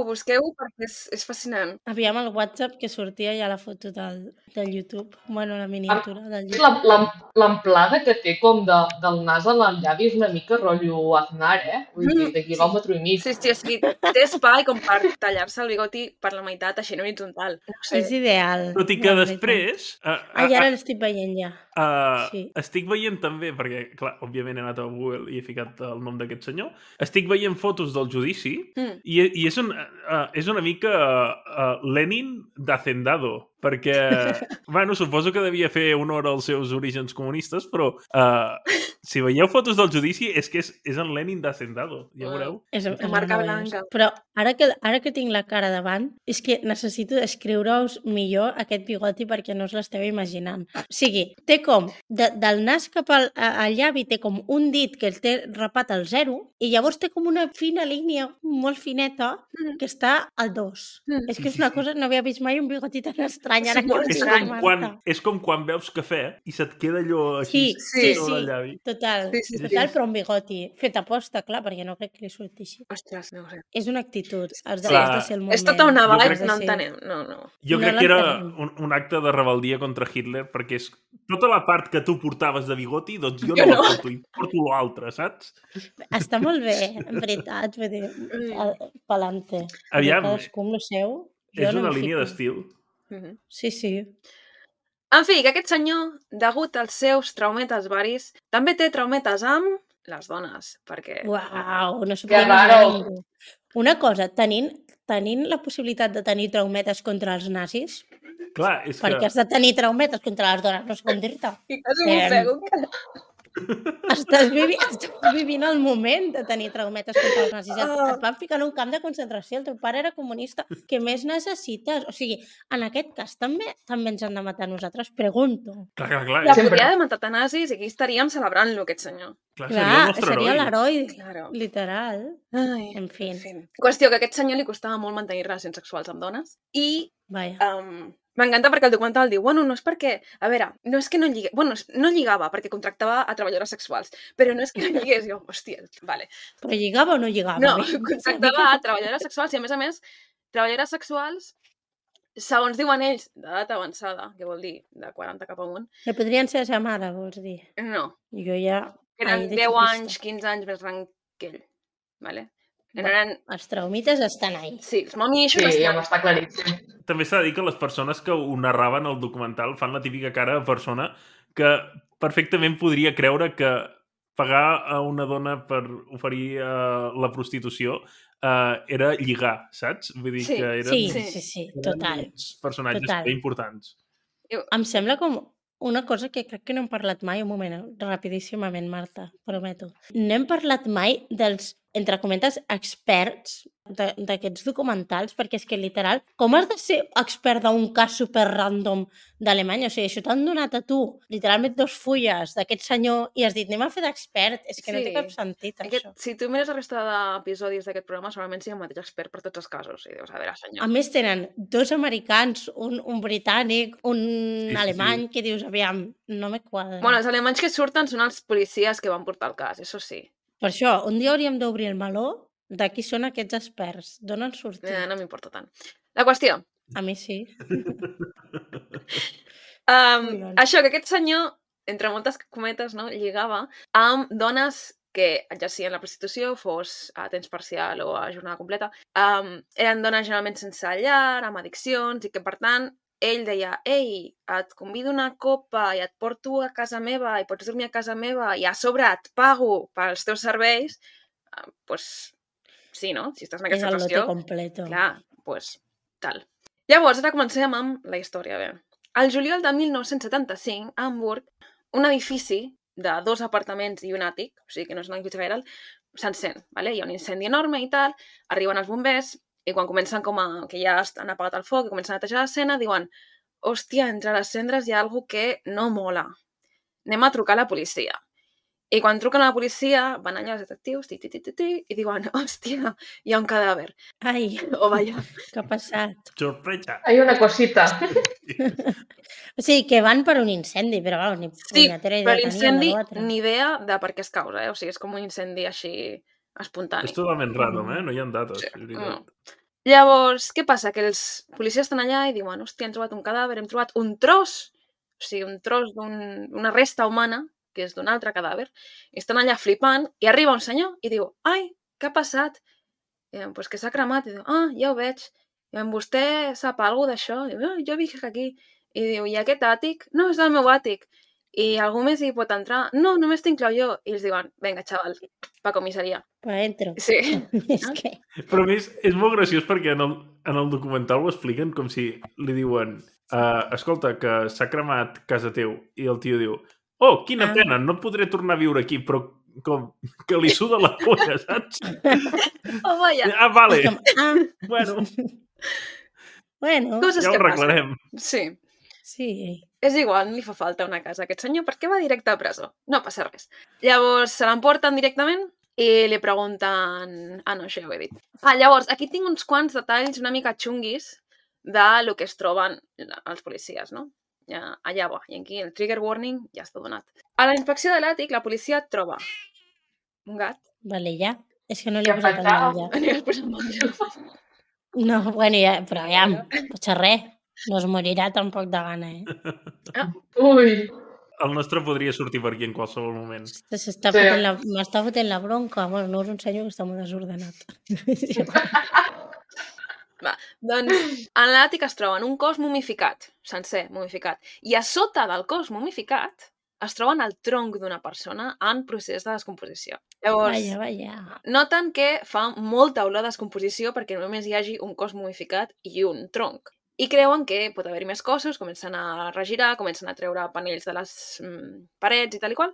[SPEAKER 1] perquè és fascinant.
[SPEAKER 2] Aviam el WhatsApp que sortia ja la foto del YouTube. Bueno, la miniatura del YouTube.
[SPEAKER 4] L'amplada que té com del nas a el llavi és una mica rotllo Aznar, Vull dir, de quilòmetre i mig.
[SPEAKER 1] Sí, o sigui, té espai com per tallar-se el bigoti per la meitat, així en horitzontal. No sé.
[SPEAKER 2] És ideal.
[SPEAKER 5] Tot i que després...
[SPEAKER 2] I ara l'estic veient ja. Sí.
[SPEAKER 5] Estic veient també, perquè, clar, òbviament he anat a Google i he ficat el nom d'aquest senyor, estic veient fotos del judici i és una mica Lenin d'Hacendado, perquè, bueno, suposo que devia fer honor als seus orígens comunistes, però si veieu fotos del judici és que és en Lenin d'Hacendado, ja veureu.
[SPEAKER 2] És
[SPEAKER 1] marca blanca.
[SPEAKER 2] Però ara que tinc la cara davant, és que necessito descriure-us millor aquest bigoti perquè no us l'esteu imaginant. O sigui, té com, del nas cap al llavi té com un dit que el té rapat al 0 i llavors té com una fina línia molt fineta que està al 2. És que és una cosa, no havia vist mai un bigoti tan estrany. Ara
[SPEAKER 5] és com quan veus cafè i se't queda allò així sobre el llavi.
[SPEAKER 2] Total, però un bigoti fet a posta, clar, perquè no crec que li surti així.
[SPEAKER 1] Ostres, no ho sé.
[SPEAKER 2] És una actitud, has de ser el moment.
[SPEAKER 1] És tota una vibe, no entenem. No.
[SPEAKER 5] Jo crec que era un acte de rebeldia contra Hitler, perquè és tota la part que tu portaves de bigoti, doncs jo no la porto, i porto l'altra, saps?
[SPEAKER 2] Està molt bé, en veritat, vull dir, pelante.
[SPEAKER 5] Aviam,
[SPEAKER 2] cadascú amb lo seu.
[SPEAKER 5] És una línia d'estil.
[SPEAKER 2] Sí.
[SPEAKER 1] En fi, que aquest senyor, degut als seus traumetes varis, també té traumetes amb les dones, perquè...
[SPEAKER 2] Uau, no s'ho podia imaginar ningú. Una cosa, tenint la possibilitat de tenir traumetes contra els nazis,
[SPEAKER 5] clar, és
[SPEAKER 2] perquè has de tenir traumetes contra les dones, no sé com dir-te.
[SPEAKER 1] I quasi m'ofego encara.
[SPEAKER 2] Estàs vivint el moment de tenir traumetes contra els nazis. Et van ficar en un camp de concentració, el teu pare era comunista. Què més necessites? O sigui, en aquest cas també ens han de matar nosaltres, pregunto.
[SPEAKER 5] Clar.
[SPEAKER 1] La podria haver matat a nazis i aquí estaríem celebrant-lo, aquest senyor.
[SPEAKER 5] Clar,
[SPEAKER 2] seria l'heroi,
[SPEAKER 1] claro.
[SPEAKER 2] Literal.
[SPEAKER 1] Ai,
[SPEAKER 2] en fi.
[SPEAKER 1] Qüestió que a aquest senyor li costava molt mantenir relacions sexuals amb dones i...
[SPEAKER 2] Vaja.
[SPEAKER 1] M'encanta perquè el documental diu, bueno, no és perquè... A veure, no és que no lligués... Bueno, no lligava perquè contractava a treballadores sexuals, però no és que no lligués. Jo, hòstia, vale.
[SPEAKER 2] Però lligava o no lligava?
[SPEAKER 1] No, contractava a treballadores sexuals i, a més, treballadores sexuals, segons diuen ells, d'edat avançada, que vol dir de 40 cap amunt.
[SPEAKER 2] Que podrien ser la seva mare, vols dir?
[SPEAKER 1] No.
[SPEAKER 2] Jo ja...
[SPEAKER 1] Eren 10 anys, 15 anys més gran que ell. Vale?
[SPEAKER 2] Els traumites estan ahí.
[SPEAKER 1] Sí, els mamiixos
[SPEAKER 4] estan... Sí, ja m'està claríssim.
[SPEAKER 5] També s'ha de dir que les persones que ho narraven al documental fan la típica cara de persona que perfectament podria creure que pagar a una dona per oferir la prostitució era lligar, saps? Vull dir que eren...
[SPEAKER 2] Sí, total.
[SPEAKER 5] Personatges importants.
[SPEAKER 2] Em sembla com una cosa que crec que no hem parlat mai, un moment, rapidíssimament, Marta, prometo. No hem parlat mai dels, entre comentes, experts d'aquests documentals, perquè és que, literal, com has de ser expert d'un cas super random d'Alemanya? O sigui, això t'han donat a tu, literalment 2 fulles d'aquest senyor i has dit, anem a fer d'expert. És que no té cap sentit, això.
[SPEAKER 1] Si tu mires la resta d'episodis d'aquest programa, segurament sigui el mateix expert per tots els casos. I dius, a veure, senyor.
[SPEAKER 2] A més, tenen 2 americans, un britànic, un alemany, que dius, aviam, no me quadra.
[SPEAKER 1] Bueno, els alemanys que surten són els policies que van portar el cas, això sí.
[SPEAKER 2] Per això, un dia hauríem d'obrir el meló de qui són aquests experts. D'on han sortit?
[SPEAKER 1] No m'importa tant. La qüestió.
[SPEAKER 2] A mi sí.
[SPEAKER 1] Això, que aquest senyor, entre moltes cometes, no, lligava amb dones que exercien la prostitució, fos a temps parcial o a jornada completa. Eren dones generalment sense llar, amb addiccions, i que, per tant, ell deia, ei, et convido una copa i et porto a casa meva i pots dormir a casa meva i a sobre et pago pels teus serveis, doncs sí, no? Si estàs en aquesta situació...
[SPEAKER 2] És el lote completo.
[SPEAKER 1] Clar, doncs Tal. Llavors, ara comencem amb la història. Bé. Al juliol de 1975, a Hamburg, un edifici de 2 apartaments i un àtic, o sigui que no és un edifici gaire alt, s'encén. Vale? Hi ha un incendi enorme i tal, arriben els bombers i quan comencen que ja han apagat el foc i comencen a netejar l'escena, diuen hòstia, entre les cendres hi ha alguna que no mola. Anem a trucar a la policia. I quan truquen a la policia, van allà els detectius, i diuen, hòstia, hi ha un cadàver.
[SPEAKER 2] Ai,
[SPEAKER 1] O vaja.
[SPEAKER 2] què ha passat?
[SPEAKER 5] Sorpresa.
[SPEAKER 4] Hay una cosita.
[SPEAKER 2] O sigui, que van per un incendi, però vamos, ni
[SPEAKER 1] Sí,
[SPEAKER 2] punyetera idea
[SPEAKER 1] però
[SPEAKER 2] tenien
[SPEAKER 1] l'incendi,
[SPEAKER 2] de l'altre.
[SPEAKER 1] ni idea de per què es causa, O sigui, és com un incendi així espontani.
[SPEAKER 5] És totalment random, no hi ha dates.
[SPEAKER 1] Sí.
[SPEAKER 5] és veritat.
[SPEAKER 1] Llavors, què passa? Que els policies estan allà i diuen, hòstia, hem trobat un cadàver, hem trobat un tros, o sigui, un tros d'una resta humana, que és d'un altre cadàver, i estan allà flipant, i arriba un senyor i diu, ai, què ha passat? I diuen, pues que s'ha cremat. I diu, ja ho veig. I diuen, vostè sap alguna d'això? I diu, jo visc aquí. I diu, i aquest àtic? No, és el meu àtic. I algú més hi pot entrar? No, només t'inclou jo. I els diuen, vinga, xaval, pa comissaria.
[SPEAKER 2] Pa dentro.
[SPEAKER 1] Sí.
[SPEAKER 2] És que...
[SPEAKER 5] Però a més, és molt graciós perquè en el documental ho expliquen com si li diuen escolta, que s'ha cremat casa teu. I el tio diu, oh, quina pena, no podré tornar a viure aquí, però com que li suda la polla, saps?
[SPEAKER 1] Oh, vaja.
[SPEAKER 5] Ah, vale.
[SPEAKER 2] Bueno.
[SPEAKER 1] Coses
[SPEAKER 5] ja ho
[SPEAKER 1] que
[SPEAKER 5] arreglarem.
[SPEAKER 1] passen.
[SPEAKER 2] Sí.
[SPEAKER 1] És igual, li fa falta una casa a aquest senyor, per què va directe a presó? No passa res. Llavors, se l'emporten directament i li pregunten... no, això ja ho he dit. Llavors, aquí tinc uns quants detalls una mica xunguis de lo que es troben els policies, no? Allà va, i aquí el trigger warning ja està donat. A la inspecció de l'àtic, la policia troba un gat.
[SPEAKER 2] Vale, ja. És que no li he posat el menjar.
[SPEAKER 1] No li has posat menjar.
[SPEAKER 2] No, bueno, ja, però ja, potser res. No es morirà tampoc de gana,
[SPEAKER 4] Ui.
[SPEAKER 5] El nostre podria sortir per aquí en qualsevol moment.
[SPEAKER 2] M'està fotent la bronca. Bueno, no és un senyor que està molt desordenat.
[SPEAKER 1] Va, doncs, en l'àtic es troben un cos mumificat, sencer, mumificat, i a sota del cos mumificat es troben el tronc d'una persona en procés de descomposició. Llavors,
[SPEAKER 2] Vaja.
[SPEAKER 1] noten que fa molta olor de descomposició perquè només hi hagi un cos mumificat i un tronc. I creuen que pot haver-hi més cossos, comencen a regirar, comencen a treure panells de les parets i tal i qual.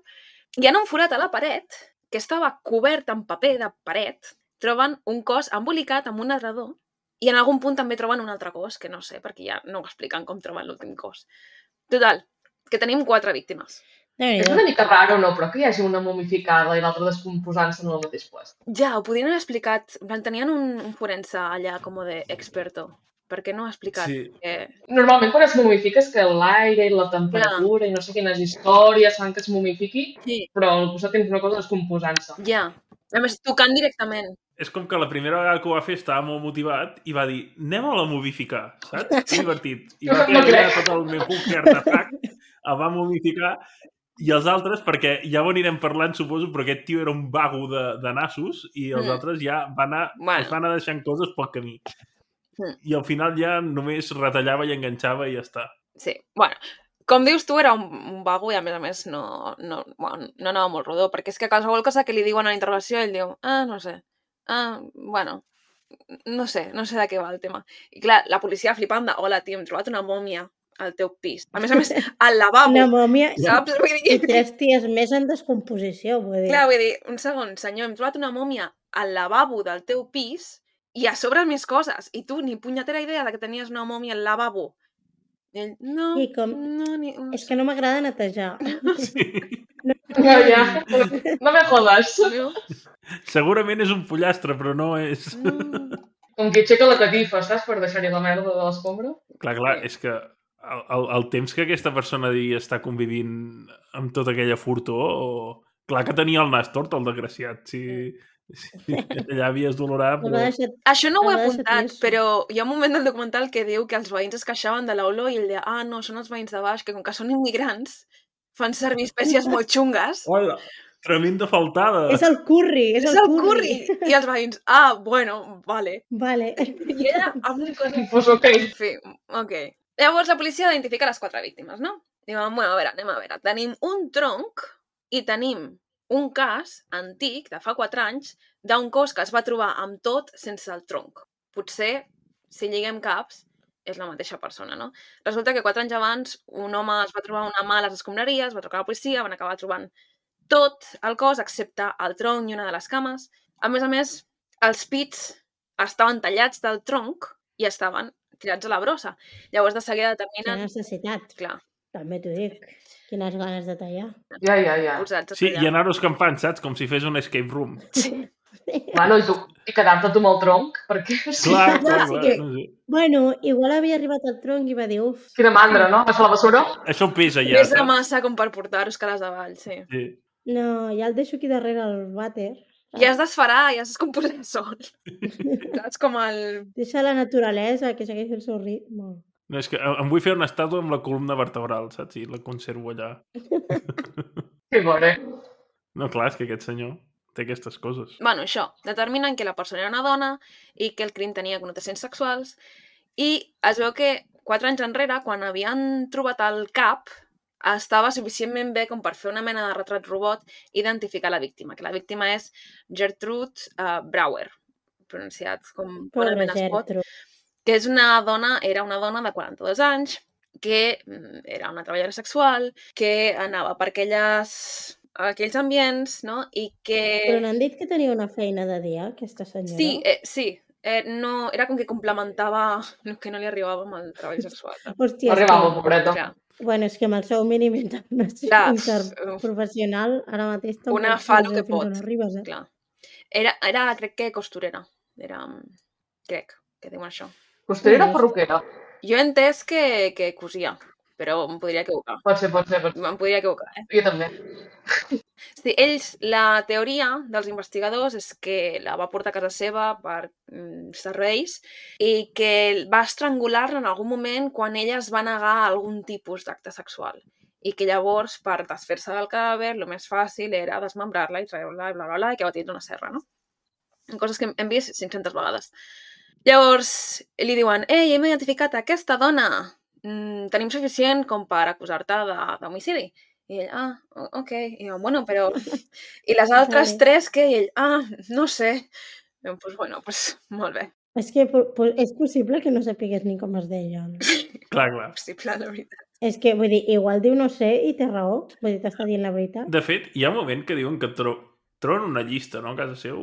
[SPEAKER 1] I en un forat a la paret, que estava cobert amb paper de paret, troben un cos embolicat amb un adredor i en algun punt també troben un altre cos, que no sé, perquè ja no ho expliquen com troben l'últim cos. Total, que tenim 4 víctimes.
[SPEAKER 4] És una mica raro, no? Però que hi hagi una momificada i l'altra descomposant-se en el mateix lloc.
[SPEAKER 1] Ja, ho podrien haver explicat. Tenien un forense allà com de experto. Perquè no ha explicat que...
[SPEAKER 4] Normalment quan es momifica és que l'aire i la temperatura i no sé quines històries fan que es momifiqui, però al costat tens una cosa descomposant-se.
[SPEAKER 1] Ja, a més tocant directament.
[SPEAKER 5] És com que la primera vegada que ho va fer estava molt motivat i va dir, anem a la momificar, saps? Que divertit. I va fer tot el meu artefacte, el va momificar i els altres, perquè ja ho anirem parlant, suposo, però aquest tio era un vago de nassos i els altres ja es van anar deixant coses pel camí. I al final ja només retallava i enganxava i ja està.
[SPEAKER 1] Sí, bueno, com dius tu, era un vago i a més no anava molt rodó, perquè és que qualsevol cosa que li diuen a la intervenció ell diu, no sé, bueno, no sé de què va el tema. I clar, la policia flipant de, hola, tio, hem trobat una mòmia al teu pis. A més, al lavabo.
[SPEAKER 2] Una mòmia
[SPEAKER 1] saps?
[SPEAKER 2] I 3 dies més en descomposició, vull dir.
[SPEAKER 1] Clar, vull dir, un segon, senyor, hem trobat una mòmia al lavabo del teu pis i a sobre més coses. I tu ni punyetera idea de que tenies una mòmia al lavabo. I ell, no.
[SPEAKER 2] És que no m'agrada netejar.
[SPEAKER 5] Sí.
[SPEAKER 4] No me jodes.
[SPEAKER 5] Segurament és un pollastre, però no és...
[SPEAKER 4] Com que aixeca la catifa, saps? Per deixar-hi la merda de l'escombra.
[SPEAKER 5] Clar, és que el temps que aquesta persona devia estar convivint amb tota aquella furtor, clar que tenia el nas tort, el desgraciat, si allà havies d'olorar, però...
[SPEAKER 1] Això no ho he apuntat, però hi ha un moment del documental que diu que els veïns es queixaven de l'olor i ell deia, no, són els veïns de baix, que com que són immigrants, fan servir espècies molt xungues.
[SPEAKER 5] Hola, tremenda faltada.
[SPEAKER 2] És el curri, és el curri.
[SPEAKER 1] I els veïns, bueno, vale. I ella amb un cosa...
[SPEAKER 4] Pues ok.
[SPEAKER 1] En fi, ok. Llavors la policia identifica les 4 víctimes, no? Diuen, bueno, anem a veure. Tenim un tronc i tenim un cas antic, de fa 4 anys, d'un cos que es va trobar amb tot sense el tronc. Potser si lliguem caps, és la mateixa persona, no? Resulta que 4 anys abans un home es va trobar una mà a les escombraries, va trucar a la policia, van acabar trobant tot el cos, excepte el tronc i una de les cames. A més, els pits estaven tallats del tronc i estaven tirats a la brossa. Llavors, de seguida
[SPEAKER 2] Quina
[SPEAKER 1] determinen...
[SPEAKER 2] necessitat.
[SPEAKER 1] Clar,
[SPEAKER 2] També t'ho dic. Quines ganes de tallar.
[SPEAKER 4] Ja.
[SPEAKER 1] posats a
[SPEAKER 5] Sí,
[SPEAKER 1] tallar.
[SPEAKER 5] i anar-ho escampant, saps? Com si fes un escape room.
[SPEAKER 1] Sí.
[SPEAKER 4] Bueno, i quedar-te tu amb el tronc, perquè...
[SPEAKER 5] Clar.
[SPEAKER 2] sí que-
[SPEAKER 5] No sé.
[SPEAKER 2] Bueno, igual havia arribat al tronc i va dir, uf,
[SPEAKER 4] Quina mandra, no? Vas a la bessura?
[SPEAKER 5] Això pesa ja,
[SPEAKER 1] Més de
[SPEAKER 5] saps?
[SPEAKER 1] massa com per portar-ho escales avall, sí.
[SPEAKER 5] Sí.
[SPEAKER 2] no, ja el deixo aquí darrere al vàter.
[SPEAKER 1] I has d'esferar, i has descomposar sol. Saps com el...
[SPEAKER 2] Deixa la naturalesa que segueixi el seu ritme.
[SPEAKER 5] No, és que em vull fer una estàtua amb la columna vertebral, saps? I la conservo allà.
[SPEAKER 4] Que gore.
[SPEAKER 5] No, clar, és que aquest senyor té aquestes coses.
[SPEAKER 1] Bueno, això, determinen que la persona era una dona i que el crim tenia connotacions sexuals i es veu que 4 anys enrere, quan havien trobat el cap, estava suficientment bé com per fer una mena de retrat robot i identificar la víctima, que la víctima és Gertrude Brouwer, pronunciat com
[SPEAKER 2] Pobre
[SPEAKER 1] bonament es pot,
[SPEAKER 2] Gertrude.
[SPEAKER 1] que és era una dona de 42 anys, que era una treballadora sexual, que anava per aquells ambients, no? I que...
[SPEAKER 2] Però n'han dit que tenia una feina de dia, aquesta senyora?
[SPEAKER 1] Sí. No, era com que complementava el que no li arribava amb el treball sexual.
[SPEAKER 2] Hòstia,
[SPEAKER 4] No arribava, pobreta.
[SPEAKER 1] Clar,
[SPEAKER 2] Bueno, és que amb el seu mínim interprofessional ara mateix tampoc
[SPEAKER 1] una fa el
[SPEAKER 2] sé
[SPEAKER 1] que
[SPEAKER 2] fins on
[SPEAKER 1] pot.
[SPEAKER 2] arribes,
[SPEAKER 1] clar. Era, crec que costurera. Crec que diuen això.
[SPEAKER 4] Costurera o perruquera?
[SPEAKER 1] Jo he entès que cosia, però em podria equivocar.
[SPEAKER 4] Pot ser.
[SPEAKER 1] Em podria equivocar,
[SPEAKER 4] Jo també.
[SPEAKER 1] Sí, la teoria dels investigadors és que la va portar a casa seva per serveis i que va estrangular-la en algun moment quan ella es va negar a algun tipus d'acte sexual. I que llavors, per desfer-se del cadàver, el més fàcil era desmembrar-la i treure-la i bla, bla, bla, i que va tenir una serra, no? Coses que hem vist 500 vegades. Llavors, li diuen, ei, hem identificat aquesta dona, tenim suficient com per acusar-te d'homicidi. I ell, ok. I jo, bueno, però... I les altres
[SPEAKER 2] Vale.
[SPEAKER 1] 3 que? I ell, no sé. I jo, pues, molt bé.
[SPEAKER 2] És que és possible que no sapigués ni com es deia. No?
[SPEAKER 5] Clar.
[SPEAKER 1] Possible, la veritat.
[SPEAKER 2] És que, vull dir, igual diu no sé i té raó. Vull dir, t'està dient la veritat.
[SPEAKER 5] De fet, hi ha un moment que diuen que troben una llista, no?, a casa seu.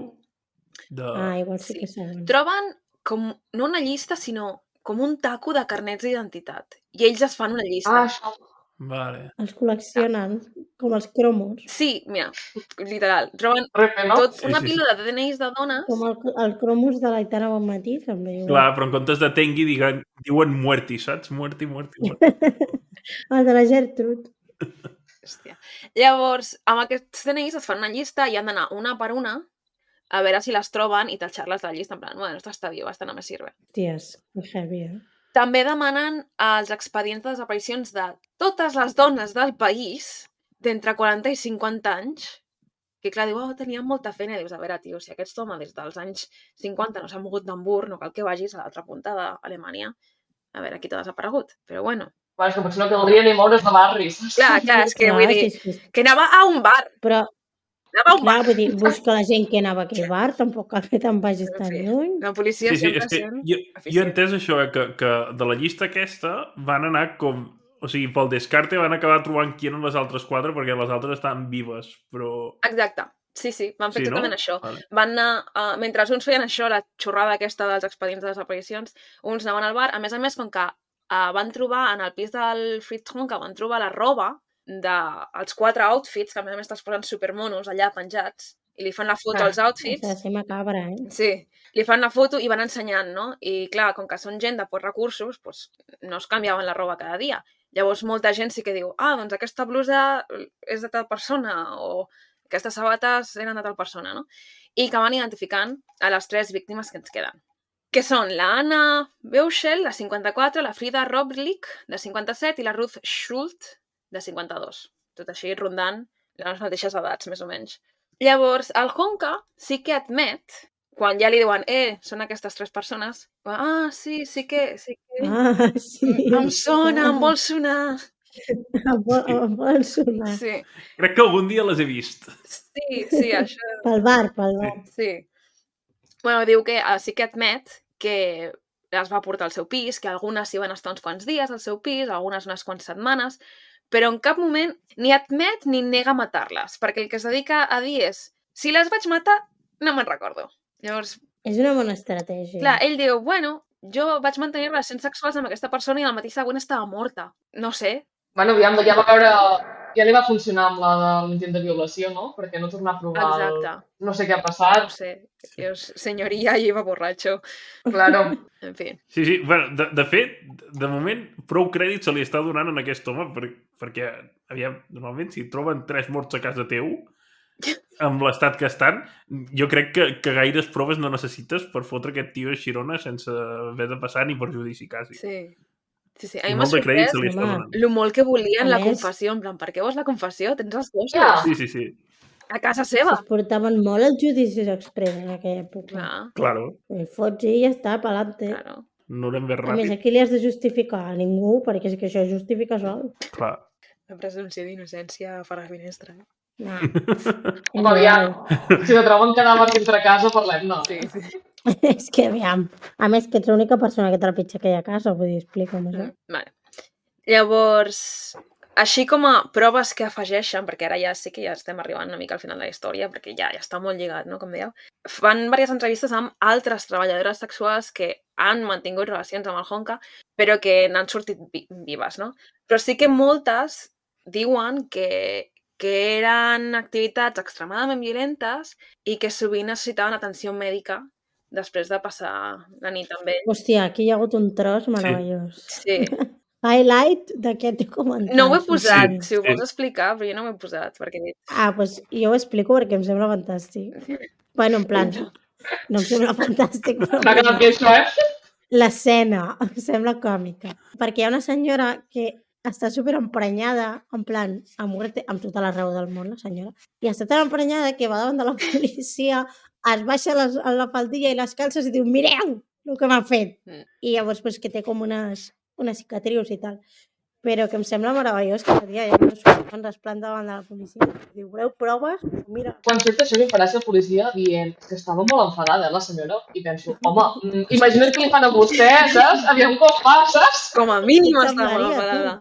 [SPEAKER 2] Igual sí que saben.
[SPEAKER 1] Troben com, no una llista, sinó com un taco de carnets d'identitat. I ells es fan una llista.
[SPEAKER 4] Això.
[SPEAKER 5] Vale.
[SPEAKER 2] Els col·leccionen, com els cromos.
[SPEAKER 1] Sí, mira, literal. Troben
[SPEAKER 4] Repe, no?
[SPEAKER 1] una pila de DNIs de dones.
[SPEAKER 2] Com el cromos de l'Aitana Bonmatí, també. Igual.
[SPEAKER 5] Clar, però en comptes de Tengui diuen Muerti, saps? Muerti.
[SPEAKER 2] El de la Gertrude.
[SPEAKER 1] Hòstia. Llavors, amb aquests DNIs es fan una llista i han d'anar una per una a veure si les troben i tatxar-les de la llista. En plan, bueno, esta està viva, esta no me sirve.
[SPEAKER 2] Ties, que heavy, eh?
[SPEAKER 1] També demanen els expedients de desaparicions de totes les dones del país d'entre 40 i 50 anys, que clar, diu, tenien molta feina, i dius, a veure, tio, si aquest home des dels anys 50 no s'ha mogut d'Hamburg, no cal que vagis a l'altra punta d'Alemanya a veure qui t'ha desaparegut, però bueno.
[SPEAKER 4] Bueno, és que potser no caldria ni moure's de barris.
[SPEAKER 1] Clar, és que vull dir, que anava a un bar.
[SPEAKER 2] Però,
[SPEAKER 1] Anava a un bar.
[SPEAKER 2] clar, vull dir, busca la gent que anava a aquell bar, tampoc cal que te'n vagis tan
[SPEAKER 1] Sí.
[SPEAKER 2] lluny.
[SPEAKER 1] La policia
[SPEAKER 5] Sí,
[SPEAKER 1] sempre
[SPEAKER 5] és que
[SPEAKER 1] sent
[SPEAKER 5] jo he
[SPEAKER 1] eficient.
[SPEAKER 5] entès això, que de la llista aquesta van anar com... O sigui, pel descarte van acabar trobant qui eren les altres 4 perquè les altres estaven vives, però...
[SPEAKER 1] Exacte. Sí, van fer
[SPEAKER 5] Sí, no?
[SPEAKER 1] exactament això.
[SPEAKER 5] Vale.
[SPEAKER 1] Van anar, mentre uns feien això, la xorrada aquesta dels expedients de desaparicions, uns anaven al bar. A més, com que van trobar en el pis del Friedholm, que van trobar la roba dels 4 outfits, que a més te'ls posen supermonos allà penjats, i li fan la foto als outfits.
[SPEAKER 2] S'ha de ser macabra, eh?
[SPEAKER 1] Sí, li fan la foto i van ensenyant, no? I clar, com que són gent de pocs recursos, doncs no es canviaven la roba cada dia. Llavors molta gent sí que diu, doncs aquesta blusa és de tal persona, o aquestes sabates eren de tal persona, no? I que van identificant a les 3 víctimes que ens queden. Que són la Anna Beuschel, de 54, la Frida Roblick, de 57, i la Ruth Schult, de 52. Tot així rondant les mateixes edats, més o menys. Llavors, el Honka sí que admet, quan ja li diuen, són aquestes 3 persones, sí que...
[SPEAKER 2] Sí.
[SPEAKER 1] Em sona, em vol sonar.
[SPEAKER 2] Em vol sonar.
[SPEAKER 1] Sí,
[SPEAKER 5] Crec que algun dia les he vist.
[SPEAKER 1] sí, això...
[SPEAKER 2] Pel bar.
[SPEAKER 1] Sí. Bueno, diu que sí que admet que les va portar al seu pis, que algunes s'hi van estar uns quants dies al seu pis, algunes unes quantes setmanes, però en cap moment ni admet ni nega matar-les, perquè el que es dedica a dir és si les vaig matar, no me'n recordo. Llavors,
[SPEAKER 2] És una bona estratègia.
[SPEAKER 1] clar, ell diu, bueno, jo vaig mantenir relacions sexuals amb aquesta persona i al matí següent estava morta. No sé.
[SPEAKER 4] Bueno, aviam, ja va veure... Ja li va funcionar amb la de l'intent de violació, no? Perquè no tornar a provar
[SPEAKER 1] Exacte.
[SPEAKER 4] No sé què ha passat.
[SPEAKER 1] No sé. Dios, senyoria, iba borratxo.
[SPEAKER 4] Claro.
[SPEAKER 1] En fi.
[SPEAKER 5] Sí, bueno, de fet, de moment, prou crèdit se li està donant en aquest home, perquè aviam, normalment, si troben 3 morts a casa teu, amb l'estat que estan, jo crec que gaires proves no necessites per fotre aquest tio a Xirona sense haver de passar ni per judici, quasi.
[SPEAKER 1] Sí. A
[SPEAKER 5] I
[SPEAKER 1] mi m'ha
[SPEAKER 5] molt de crèdit
[SPEAKER 1] sorprès
[SPEAKER 5] se li està donant.
[SPEAKER 1] lo molt que volien
[SPEAKER 2] A
[SPEAKER 1] la
[SPEAKER 2] més-
[SPEAKER 1] confessió, en plan, per què vols la confessió? Tens els gossos
[SPEAKER 4] Ja.
[SPEAKER 5] Sí.
[SPEAKER 1] a casa seva.
[SPEAKER 2] Es portaven molt els judicis express en aquella època.
[SPEAKER 1] Clar,
[SPEAKER 5] Claro,
[SPEAKER 2] El fots i ja està, pa'lante.
[SPEAKER 1] claro.
[SPEAKER 5] no anem més
[SPEAKER 2] A més,
[SPEAKER 5] ràpid.
[SPEAKER 2] aquí li has de justificar a ningú, perquè és que això es justifica sol.
[SPEAKER 5] Clar.
[SPEAKER 1] La presumpció d'innocència per la finestra.
[SPEAKER 2] No.
[SPEAKER 4] Aviam, si te troben cadàver dintre casa, parlem-ne.
[SPEAKER 1] Sí.
[SPEAKER 2] És que, aviam. A més, que ets l'única persona que trepitja aquella casa, vull dir, explica'm això.
[SPEAKER 1] Vale. Llavors, així com a proves que afegeixen, perquè ara ja sí que ja estem arribant una mica al final de la història, perquè ja està molt lligat, no?, com dèieu, fan diverses entrevistes amb altres treballadores sexuals que han mantingut relacions amb el Honka, però que n'han sortit vives, no? Però sí que moltes diuen que eren activitats extremadament violentes i que sovint necessitaven atenció mèdica després de passar la nit amb ell.
[SPEAKER 2] Hòstia, aquí hi ha hagut un tros meravellós.
[SPEAKER 1] Sí.
[SPEAKER 2] Highlight d'aquest documental.
[SPEAKER 1] No ho he posat,
[SPEAKER 5] Sí,
[SPEAKER 1] si ho
[SPEAKER 5] sí.
[SPEAKER 1] vols explicar, però jo no ho he posat, perquè he dit...
[SPEAKER 2] Ah, doncs jo ho explico perquè em sembla fantàstic. Bueno, en plan, no em sembla fantàstic, però
[SPEAKER 4] M'ha quedat bé això,
[SPEAKER 2] l'escena em sembla còmica. Perquè hi ha una senyora que està superemprenyada, en plan, a muerte, amb tota la raó del món, la senyora, i està tan emprenyada que va davant de la policia, es baixa la faldilla i les calces i diu, mireu el que m'ha fet. I llavors, pues, que té com unes cicatrius i tal. Però que em sembla meravellós que tia ja no es resplanta davant de la policia. Diu, voleu proves? Mira.
[SPEAKER 4] Quan surt això, m'apareix la policia dient que estava molt enfadada, la senyora, i penso, home, imagina't que li fan a vostè, saps? Aviam com va, saps?
[SPEAKER 1] Com a mínim
[SPEAKER 2] Puta
[SPEAKER 1] estava
[SPEAKER 2] Maria,
[SPEAKER 1] enfadada.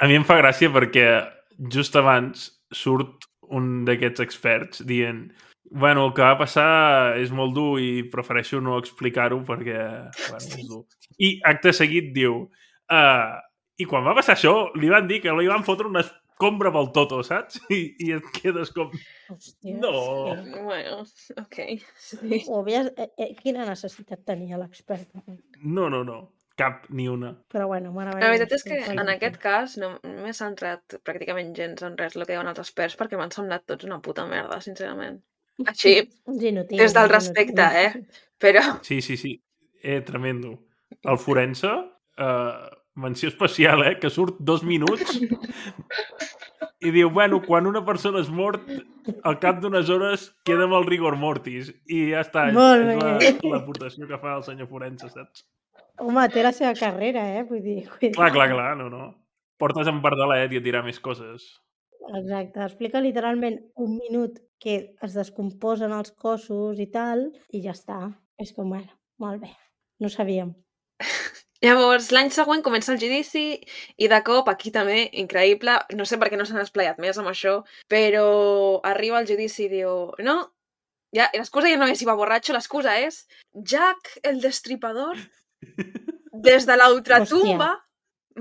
[SPEAKER 5] A mi em fa gràcia perquè just abans surt un d'aquests experts dient bueno, el que va passar és molt dur i prefereixo no explicar-ho perquè bueno, és dur. I acte seguit diu i quan va passar això li van dir que li van fotre una escombra pel toto, saps? I et quedes com...
[SPEAKER 2] Hòstia.
[SPEAKER 5] No.
[SPEAKER 2] Sí.
[SPEAKER 1] Bueno, ok. Sí.
[SPEAKER 2] Quina necessitat tenia l'expert?
[SPEAKER 5] No. Cap ni una.
[SPEAKER 2] Però bueno, meravellós.
[SPEAKER 1] La veritat és que en aquest cas no m'he centrat pràcticament gens en res el que diuen els experts perquè m'han semblat tots una puta merda, sincerament. Així,
[SPEAKER 2] Uns inútils,
[SPEAKER 1] des del
[SPEAKER 2] uns
[SPEAKER 1] respecte,
[SPEAKER 2] inútils.
[SPEAKER 1] però...
[SPEAKER 5] Sí. Tremendo. El forense, menció especial, que surt 2 minuts i diu, bueno, quan una persona és mort, al cap d'unes hores queda amb el rigor mortis. I ja està,
[SPEAKER 2] Molt
[SPEAKER 5] és
[SPEAKER 2] bé.
[SPEAKER 5] l'aportació que fa el senyor forense, saps?
[SPEAKER 2] Home, té la seva carrera, vull dir.
[SPEAKER 5] Clar, no. Portes en pardalet i a tirar més coses.
[SPEAKER 2] Exacte, explica literalment 1 minut que es descomposen els cossos i tal, i ja està. És com, bueno, molt bé, no sabíem.
[SPEAKER 1] Llavors, l'any següent comença el judici i de cop, aquí també, increïble, no sé per què no s'han esplayat més amb això, però arriba el judici i diu, no, ja, l'excusa ja no és si va borratxo, l'excusa és Jack el Destripador des de l'ultratumba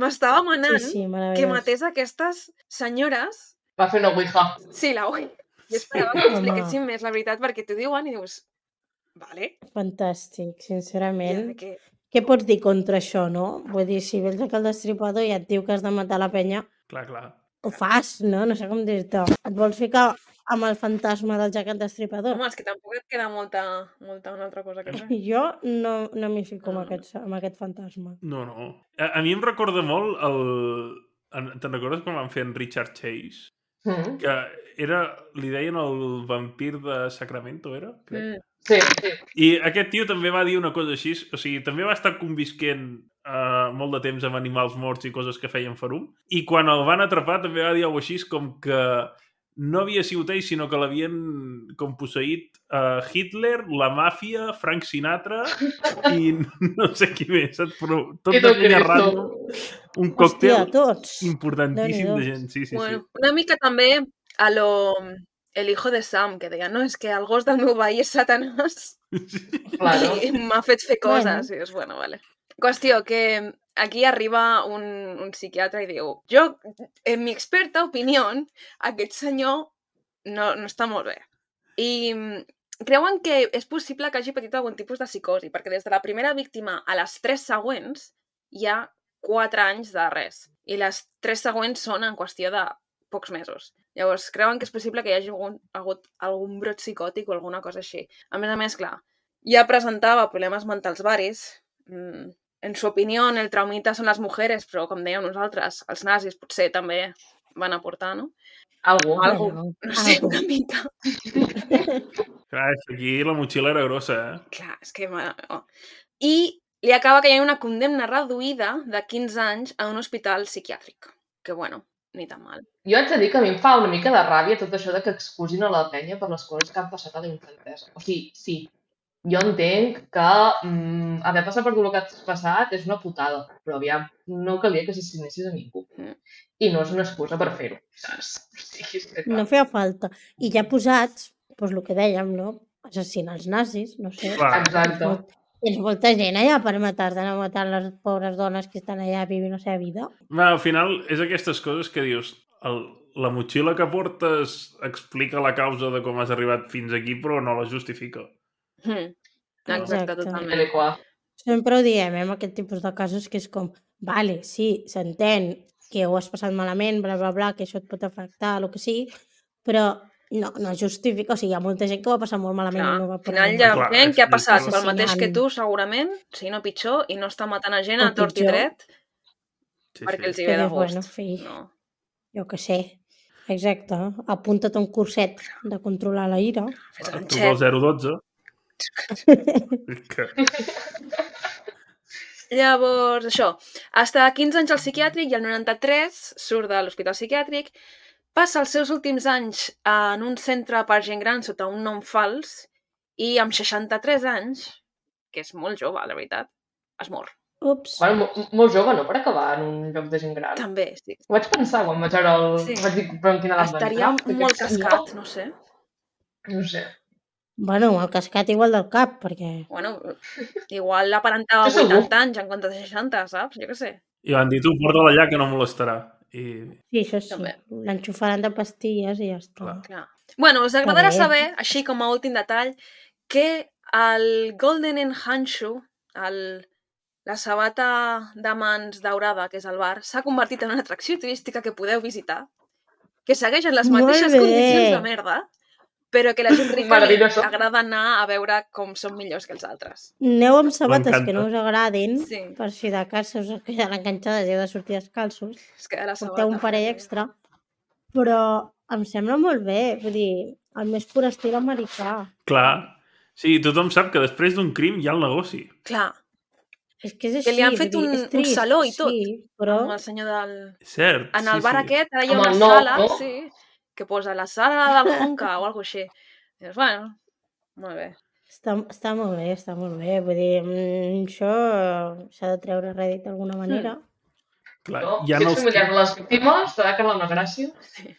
[SPEAKER 1] m'estava manant
[SPEAKER 2] Sí,
[SPEAKER 1] que
[SPEAKER 2] meravellós.
[SPEAKER 1] matés aquestes senyores.
[SPEAKER 4] Va fer una ouija.
[SPEAKER 1] Sí, la ui. Jo esperava que m'expliquessin més la veritat perquè t'ho diuen i dius, vale,
[SPEAKER 2] Fantàstic, sincerament.
[SPEAKER 1] que...
[SPEAKER 2] Què pots dir contra això, no? Vull dir, si vens aquí al Destripador i et diu que has de matar la penya,
[SPEAKER 5] Clar.
[SPEAKER 2] ho fas, no? No sé com dir-te. Et vols ficar amb el fantasma del Jack el Destripador?
[SPEAKER 1] Home, és que tampoc et queda molta una altra cosa que fer.
[SPEAKER 2] Jo no m'hi fico amb aquest fantasma.
[SPEAKER 5] No. A mi em recorda molt te'n recordes quan van fer en Richard Chase? Que li deien el vampir de Sacramento, era? Crec.
[SPEAKER 4] Sí.
[SPEAKER 5] I aquest tio també va dir una cosa així, o sigui, també va estar convisquent molt de temps amb animals morts i coses que feien ferum, i quan el van atrapar també va dir alguna així com que no havia sigut ell, sinó que l'havien com posseït Hitler, la màfia, Frank Sinatra i no sé qui més, però tot de penya random. Un còctel importantíssim de gent. Sí.
[SPEAKER 1] Bueno, una mica també a lo El hijo de Sam, que deia, no, és que el gos del meu veí és Satanàs i m'ha fet fer coses. I és, bueno, vale. Qüestió, que aquí arriba un psiquiatre i diu, jo, en mi experta opinió, aquest senyor no està molt bé. I creuen que és possible que hagi patit algun tipus de psicosi, perquè des de la primera víctima a les 3 següents hi ha 4 anys de res. I les 3 següents són en qüestió de pocs mesos. Llavors, creuen que és possible que hi hagi hagut algun brot psicòtic o alguna cosa així. A més, clar, ja presentava problemes mentals varis. En su opinió, el traumita són les mujeres, però, com dèiem nosaltres, els nazis potser també van aportar, no?
[SPEAKER 4] Algú.
[SPEAKER 1] No sé, una mica.
[SPEAKER 5] Clar, aquí la motxilla era grossa,
[SPEAKER 1] Clar, és que... I li acaba caient una condemna reduïda de 15 anys a un hospital psiquiàtric. Que, bueno, ni tan mal.
[SPEAKER 4] Jo haig de dir que a mi em fa una mica de ràbia tot això de que excusin a la penya per les coses que han passat a la infantesa. O sigui, sí, jo entenc que haver passat per tot el que has passat és una putada, però aviam, no calia que s'assinessis a ningú. I no és una excusa per fer-ho, saps?
[SPEAKER 2] No feia falta. I ja posats, doncs el que dèiem, no? Assassinar els nazis, no sé.
[SPEAKER 4] Exacte.
[SPEAKER 2] Tens molta gent allà per matar-te, no matar les pobres dones que estan allà vivint la seva vida.
[SPEAKER 5] Al final, és aquestes coses que dius, la motxilla que portes explica la causa de com has arribat fins aquí, però no la justifica.
[SPEAKER 1] Exacte, totalment.
[SPEAKER 2] Sempre ho diem, amb aquest tipus de casos, que és com, vale, sí, s'entén que ho has passat malament, bla, bla, bla, que això et pot afectar, el que sigui, però no justifica, o sigui, hi ha molta gent que ho va passar molt malament.
[SPEAKER 1] Clar, al final hi ha gent que ha passat pel mateix que tu, segurament, si no pitjor, i no està matant a gent a tort i dret perquè els hi ve de gust.
[SPEAKER 2] Bueno, fi, jo què sé. Exacte, apunta't a un curset de controlar la ira.
[SPEAKER 5] Truca al 012.
[SPEAKER 1] Llavors, això, està 15 anys al psiquiàtric i el 93 surt de l'hospital psiquiàtric, passa els seus últims anys en un centre per gent gran sota un nom fals i amb 63 anys, que és molt jove, la veritat, es mor.
[SPEAKER 2] Ups.
[SPEAKER 4] Bueno, molt jove, no? Per acabar en un lloc de gent gran.
[SPEAKER 1] També, sí.
[SPEAKER 4] Ho vaig pensar quan vaig veure el...
[SPEAKER 1] Sí.
[SPEAKER 4] Vaig dir, però en quina edat
[SPEAKER 1] estaria molt cascat, no sé.
[SPEAKER 4] No sé.
[SPEAKER 2] Bueno, el cascat igual del cap, perquè...
[SPEAKER 1] Bueno, igual l'aparentava 80 anys en comptes de 60, saps? Jo què sé.
[SPEAKER 5] I van dir, tu, porta-la allà que no molestarà.
[SPEAKER 2] Sí, això sí. L'enxufaran de pastilles i ja està.
[SPEAKER 1] Clar. Bueno, us agradarà saber, així com a últim detall, que el Golden Handshoe, la sabata de mans daurada, que és el bar, s'ha convertit en una atracció turística que podeu visitar, que segueix en les mateixes condicions de merda, però que la gent rica li agrada anar a veure com són millors que els altres.
[SPEAKER 2] Aneu amb sabates que no us agradin, per si de cas us quedaran enganxades i heu de sortir descalços. Porteu un parell extra. Però em sembla molt bé, vull dir, el més pur estil americà.
[SPEAKER 5] Clar. Sí, tothom sap que després d'un crim hi ha el negoci.
[SPEAKER 1] Clar.
[SPEAKER 2] És que és així.
[SPEAKER 1] Que li han fet un saló i tot.
[SPEAKER 2] Sí, però...
[SPEAKER 1] Amb el senyor del...
[SPEAKER 5] Cert,
[SPEAKER 1] en el bar aquest, ara hi ha una sala, sí, que posa la sala del Honka o alguna cosa així. I dius, bueno, molt bé.
[SPEAKER 2] Està molt bé, està molt bé. Vull dir, això s'ha de treure rèdit d'alguna manera.
[SPEAKER 5] Clar,
[SPEAKER 4] no, si és familiar de les víctimes, t'ha de quedar una gràcia.
[SPEAKER 1] Sí.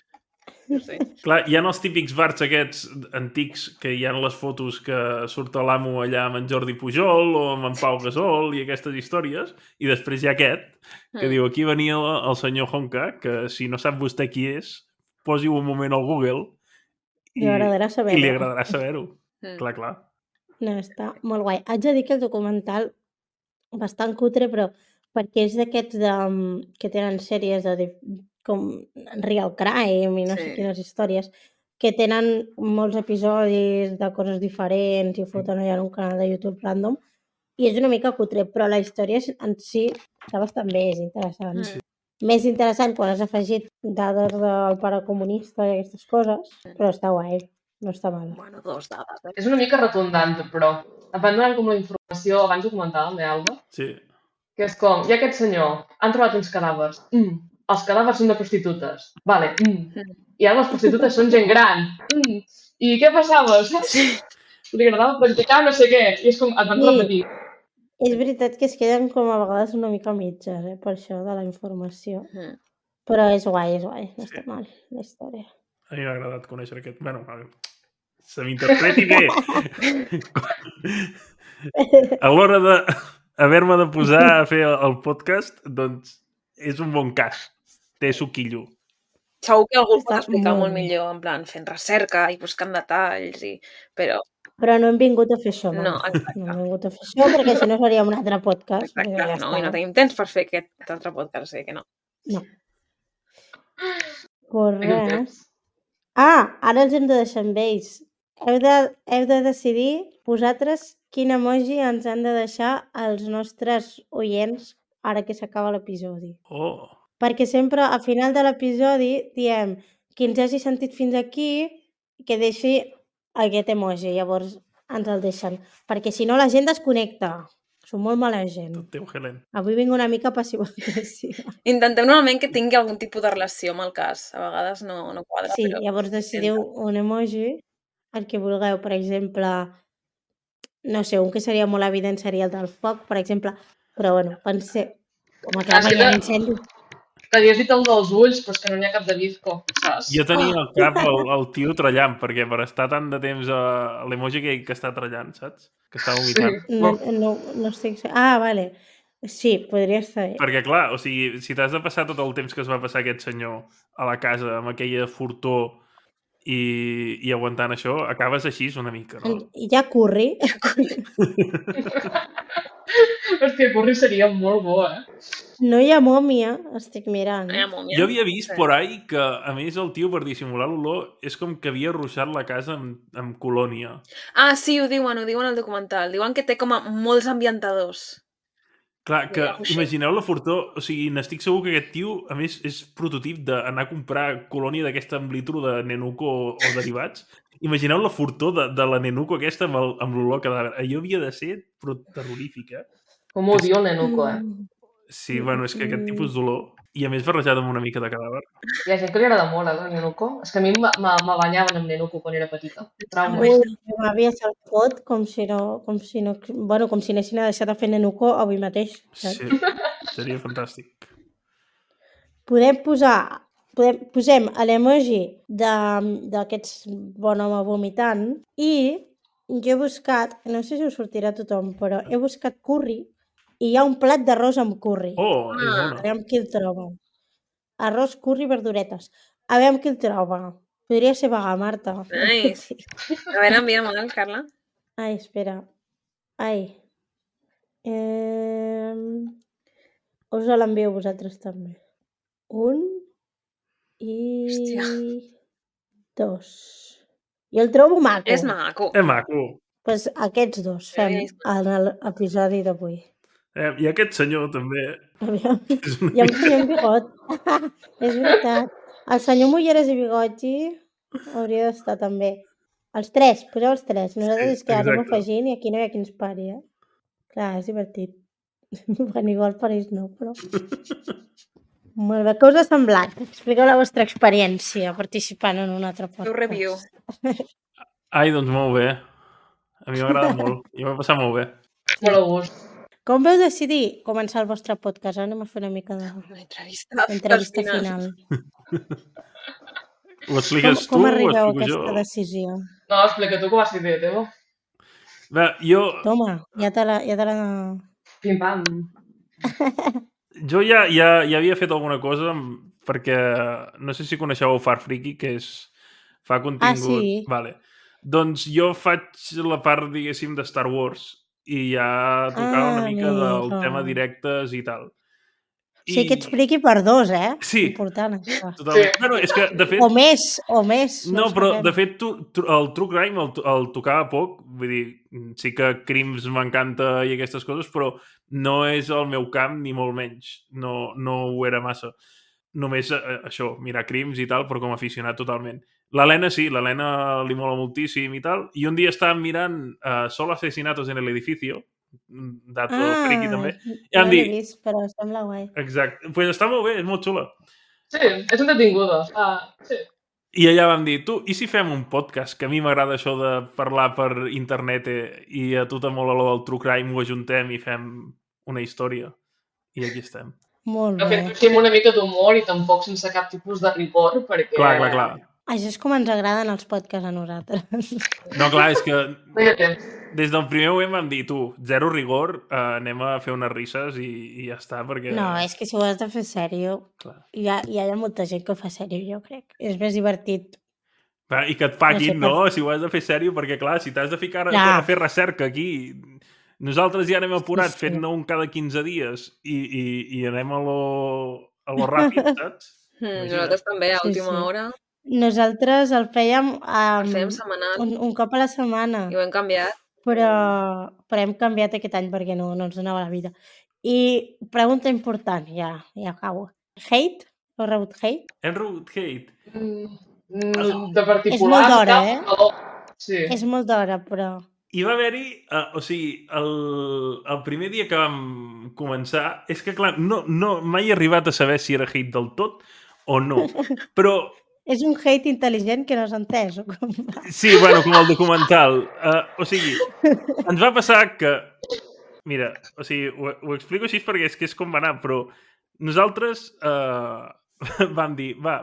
[SPEAKER 5] Clar, hi ha els típics bars aquests antics que hi ha les fotos que surt l'amo allà amb en Jordi Pujol o amb en Pau Gasol i aquestes històries, i després hi ha aquest que diu, aquí venia el senyor Honka, que si no sap vostè qui és, posi-ho un moment al Google i li agradarà saber-ho. Clar.
[SPEAKER 2] No, està molt guai. Haig de dir que el documental bastant cutre, però perquè és d'aquests que tenen sèries com Real Crime i no sé quines històries, que tenen molts episodis de coses diferents i foten allà en un canal de YouTube random, i és una mica cutre, però la història en si està bastant bé, és interessant. Més interessant quan has afegit dades del pare comunista i aquestes coses, però està guai, no està mal.
[SPEAKER 1] Bueno, 2 dades.
[SPEAKER 4] És una mica redundant, però em van donar com la informació, abans ho comentàvem, Alba?
[SPEAKER 5] Sí.
[SPEAKER 4] Que és com, hi ha aquest senyor, han trobat uns cadàvers. els cadàvers són de prostitutes. Vale. I ara les prostitutes són gent gran. I què passava, saps? Li agradava practicar no sé què. I és com, et van repetir.
[SPEAKER 2] És veritat que es queden com a vegades una mica mitges, per això de la informació. Però és guai, no està mal la història.
[SPEAKER 5] A mi m'ha agradat conèixer aquest... Bueno, se m'interpreti bé. A l'hora d'haver-me de posar a fer el podcast, doncs és un bon cas. Té suquillo.
[SPEAKER 1] Segur que algú ho pot
[SPEAKER 2] Està
[SPEAKER 1] explicar
[SPEAKER 2] molt
[SPEAKER 1] molt millor, en plan, fent recerca i buscant detalls,
[SPEAKER 2] Però no hem vingut a fer això,
[SPEAKER 1] No, exacte.
[SPEAKER 2] No hem vingut a fer això, perquè si no faríem un altre podcast.
[SPEAKER 1] Exacte,
[SPEAKER 2] Ja
[SPEAKER 1] no,
[SPEAKER 2] està.
[SPEAKER 1] i no tenim temps per fer aquest altre podcast, o sigui que no.
[SPEAKER 2] No. Pues res. Ara els hem de deixar amb ells. Heu de decidir vosaltres quin emoji ens han de deixar els nostres oients ara que s'acaba l'episodi. Perquè sempre al final de l'episodi diem qui ens hagi sentit fins aquí que deixi aquest emoji, llavors ens el deixen. Perquè si no la gent desconnecta. Som molt mala gent.
[SPEAKER 5] Tot teu, Helen.
[SPEAKER 2] Avui vinc una mica passiva-agressiva.
[SPEAKER 1] Intentem normalment que tingui algun tipus de relació amb el cas. A vegades no quadra.
[SPEAKER 2] Sí,
[SPEAKER 1] però...
[SPEAKER 2] llavors decidiu un emoji, el que vulgueu. Per exemple, no sé, un que seria molt evident seria el del foc, per exemple. Però bueno, pensé, com a que hi ha incendi.
[SPEAKER 4] Que havies dit el dels ulls, però és que no n'hi ha cap de bizco, saps?
[SPEAKER 5] Jo tenia al cap el tio trallant, perquè per estar tant de temps a l'emoji que està trallant, saps? Que està vomitant.
[SPEAKER 2] No estic... Vale. Sí, podria estar bé.
[SPEAKER 5] Perquè, clar, o sigui, si t'has de passar tot el temps que es va passar aquest senyor a la casa amb aquella fortor i aguantant això, acabes així una mica, no?
[SPEAKER 2] I ja curri.
[SPEAKER 4] Hòstia, curri seria molt bo,
[SPEAKER 2] No hi ha mòmia, estic mirant.
[SPEAKER 1] No hi ha mòmia.
[SPEAKER 5] Jo havia vist por ahí que, a més, el tio, per dissimular l'olor, és com que havia ruixat la casa amb colònia.
[SPEAKER 1] Sí, ho diuen al documental. Diuen que té com a molts ambientadors.
[SPEAKER 5] Clar, que imagineu la fortor, o sigui, n'estic segur que aquest tio, a més, és prototip d'anar a comprar colònia d'aquesta amb litro de Nenuco o derivats. Imagineu la fortor de la Nenuco aquesta amb l'olor cadàver. Allò havia de ser terrorífic,
[SPEAKER 4] Com odio el Nenuco,
[SPEAKER 5] Sí, bueno, és que aquest tipus d'olor, i a més barrejat amb una mica de cadàver.
[SPEAKER 4] Hi ha gent que li agrada molt, el Nenuco. És que a mi me banyaven amb Nenuco quan era petita. Trauma.
[SPEAKER 2] Ui, m'havia se'l fot com si anessin a deixar de fer Nenuco avui mateix. Saps?
[SPEAKER 5] Sí, seria fantàstic.
[SPEAKER 2] Posem l'emoji d'aquests bon home vomitant i jo he buscat, no sé si us sortirà a tothom, però he buscat curri i hi ha un plat d'arròs amb curri.
[SPEAKER 5] És bona.
[SPEAKER 2] A veure qui el troba. Arròs, curri, verduretes. A veure qui el troba. Podria ser vegà, Marta.
[SPEAKER 1] Nice. A veure, envia'm-el, Carla.
[SPEAKER 2] Ai, espera. Us l'envio a vosaltres també. 1 i 2. Jo el trobo maco.
[SPEAKER 1] És maco.
[SPEAKER 5] És maco.
[SPEAKER 2] Doncs aquests dos fem en l'episodi d'avui.
[SPEAKER 5] I aquest senyor també...
[SPEAKER 2] Hi ha un senyor amb bigot. És veritat. El senyor Mulleres i Bigotgi hauria d'estar també. Els tres, poseu els tres. Nosaltres és que anem afegint i aquí no hi ha qui ens pari, Clar, és divertit. Bueno, igual per ells no, però... Molt bé, què us ha semblat? Expliqueu la vostra experiència participant en un altre podcast.
[SPEAKER 1] Feu review.
[SPEAKER 5] Ai, doncs molt bé. A mi m'agrada molt. Jo m'he passat molt bé.
[SPEAKER 4] Molt a gust.
[SPEAKER 2] Com veu decidir començar el vostre podcast? Anem a fer una mica d'entrevista final.
[SPEAKER 5] Ho expliques tu
[SPEAKER 2] com
[SPEAKER 5] o
[SPEAKER 2] arribeu a
[SPEAKER 5] explico jo?
[SPEAKER 2] aquesta decisió?
[SPEAKER 4] No, explica tu que va ser idea teva.
[SPEAKER 5] Bé, jo...
[SPEAKER 2] Toma, ja te la...
[SPEAKER 4] Pim-pam.
[SPEAKER 5] Jo ja havia fet alguna cosa perquè no sé si coneixeu el Far Freaky, que fa contingut...
[SPEAKER 2] sí.
[SPEAKER 5] Vale. Doncs jo faig la part, diguéssim, de Star Wars i ja tocava una mica del tema directes i tal.
[SPEAKER 2] Sí, que expliqui per dos,
[SPEAKER 5] Sí.
[SPEAKER 2] Important, això.
[SPEAKER 5] Totalment. Sí. Bueno, és que, de fet...
[SPEAKER 2] O més.
[SPEAKER 5] No, però, de fet, el True Crime el tocava poc. Vull dir, sí que Crims m'encanta i aquestes coses, però no és el meu camp, ni molt menys. No ho era massa. Només això, mirar Crims i tal, però com a aficionat totalment. L'Helena sí, l'Helena li mola moltíssim i tal. I un dia estàvem mirant Solo asesinatos en el edificio, dato friki també. I
[SPEAKER 2] no l'he vist, però sembla guai.
[SPEAKER 5] Exacte. Pues està molt bé, és molt xula.
[SPEAKER 4] Sí, és entretinguda. Sí.
[SPEAKER 5] I allà vam dir, tu, i si fem un podcast? Que a mi m'agrada això de parlar per internet i a tu te mola lo del true crime, ho ajuntem i fem una història. I aquí estem.
[SPEAKER 2] Molt
[SPEAKER 4] De
[SPEAKER 2] bé.
[SPEAKER 4] fet, fem una mica d'humor i tampoc sense cap tipus de rigor, perquè...
[SPEAKER 5] Clar.
[SPEAKER 2] Això és com ens agraden els podcasts a nosaltres.
[SPEAKER 5] No, clar, és que
[SPEAKER 4] No hi ha temps.
[SPEAKER 5] des del primer moment vam dir, tu, zero rigor, anem a fer unes risses i ja està, perquè...
[SPEAKER 2] No, és que si ho has de fer sèrio,
[SPEAKER 5] Clar.
[SPEAKER 2] hi ha molta gent que ho fa sèrio, jo crec. És més divertit.
[SPEAKER 5] Clar, i que et paguin,
[SPEAKER 2] No sé,
[SPEAKER 5] no? Si ho has de fer sèrio, perquè, clar, si t'has de ficar
[SPEAKER 2] Clar.
[SPEAKER 5] a fer recerca aquí... Nosaltres ja anem apurats
[SPEAKER 2] Sí.
[SPEAKER 5] fent-ne un cada 15 dies i anem a lo ràpid, saps? Imagina't.
[SPEAKER 1] Nosaltres també, a
[SPEAKER 2] Sí,
[SPEAKER 1] última
[SPEAKER 2] sí.
[SPEAKER 1] hora,
[SPEAKER 2] Nosaltres el fèiem
[SPEAKER 1] el fèiem setmanal
[SPEAKER 2] un cop a la setmana,
[SPEAKER 1] i ho hem canviat.
[SPEAKER 2] però hem canviat aquest any perquè no ens donava la vida. I pregunta important, ja acabo. Hate? Heu rebut hate?
[SPEAKER 5] Hem rebut hate.
[SPEAKER 4] De particular...
[SPEAKER 2] És molt d'hora,
[SPEAKER 4] No. Sí.
[SPEAKER 2] És molt d'hora, però...
[SPEAKER 5] I va haver-hi, o sigui, el primer dia que vam començar, és que, clar, no, mai he arribat a saber si era hate del tot o no, però
[SPEAKER 2] És un hate intel·ligent que no s'ha entès. O com va?
[SPEAKER 5] sí, bueno, com el documental. O sigui, ens va passar que... Mira, o sigui, ho explico així perquè és que és com va anar, però nosaltres vam dir, va,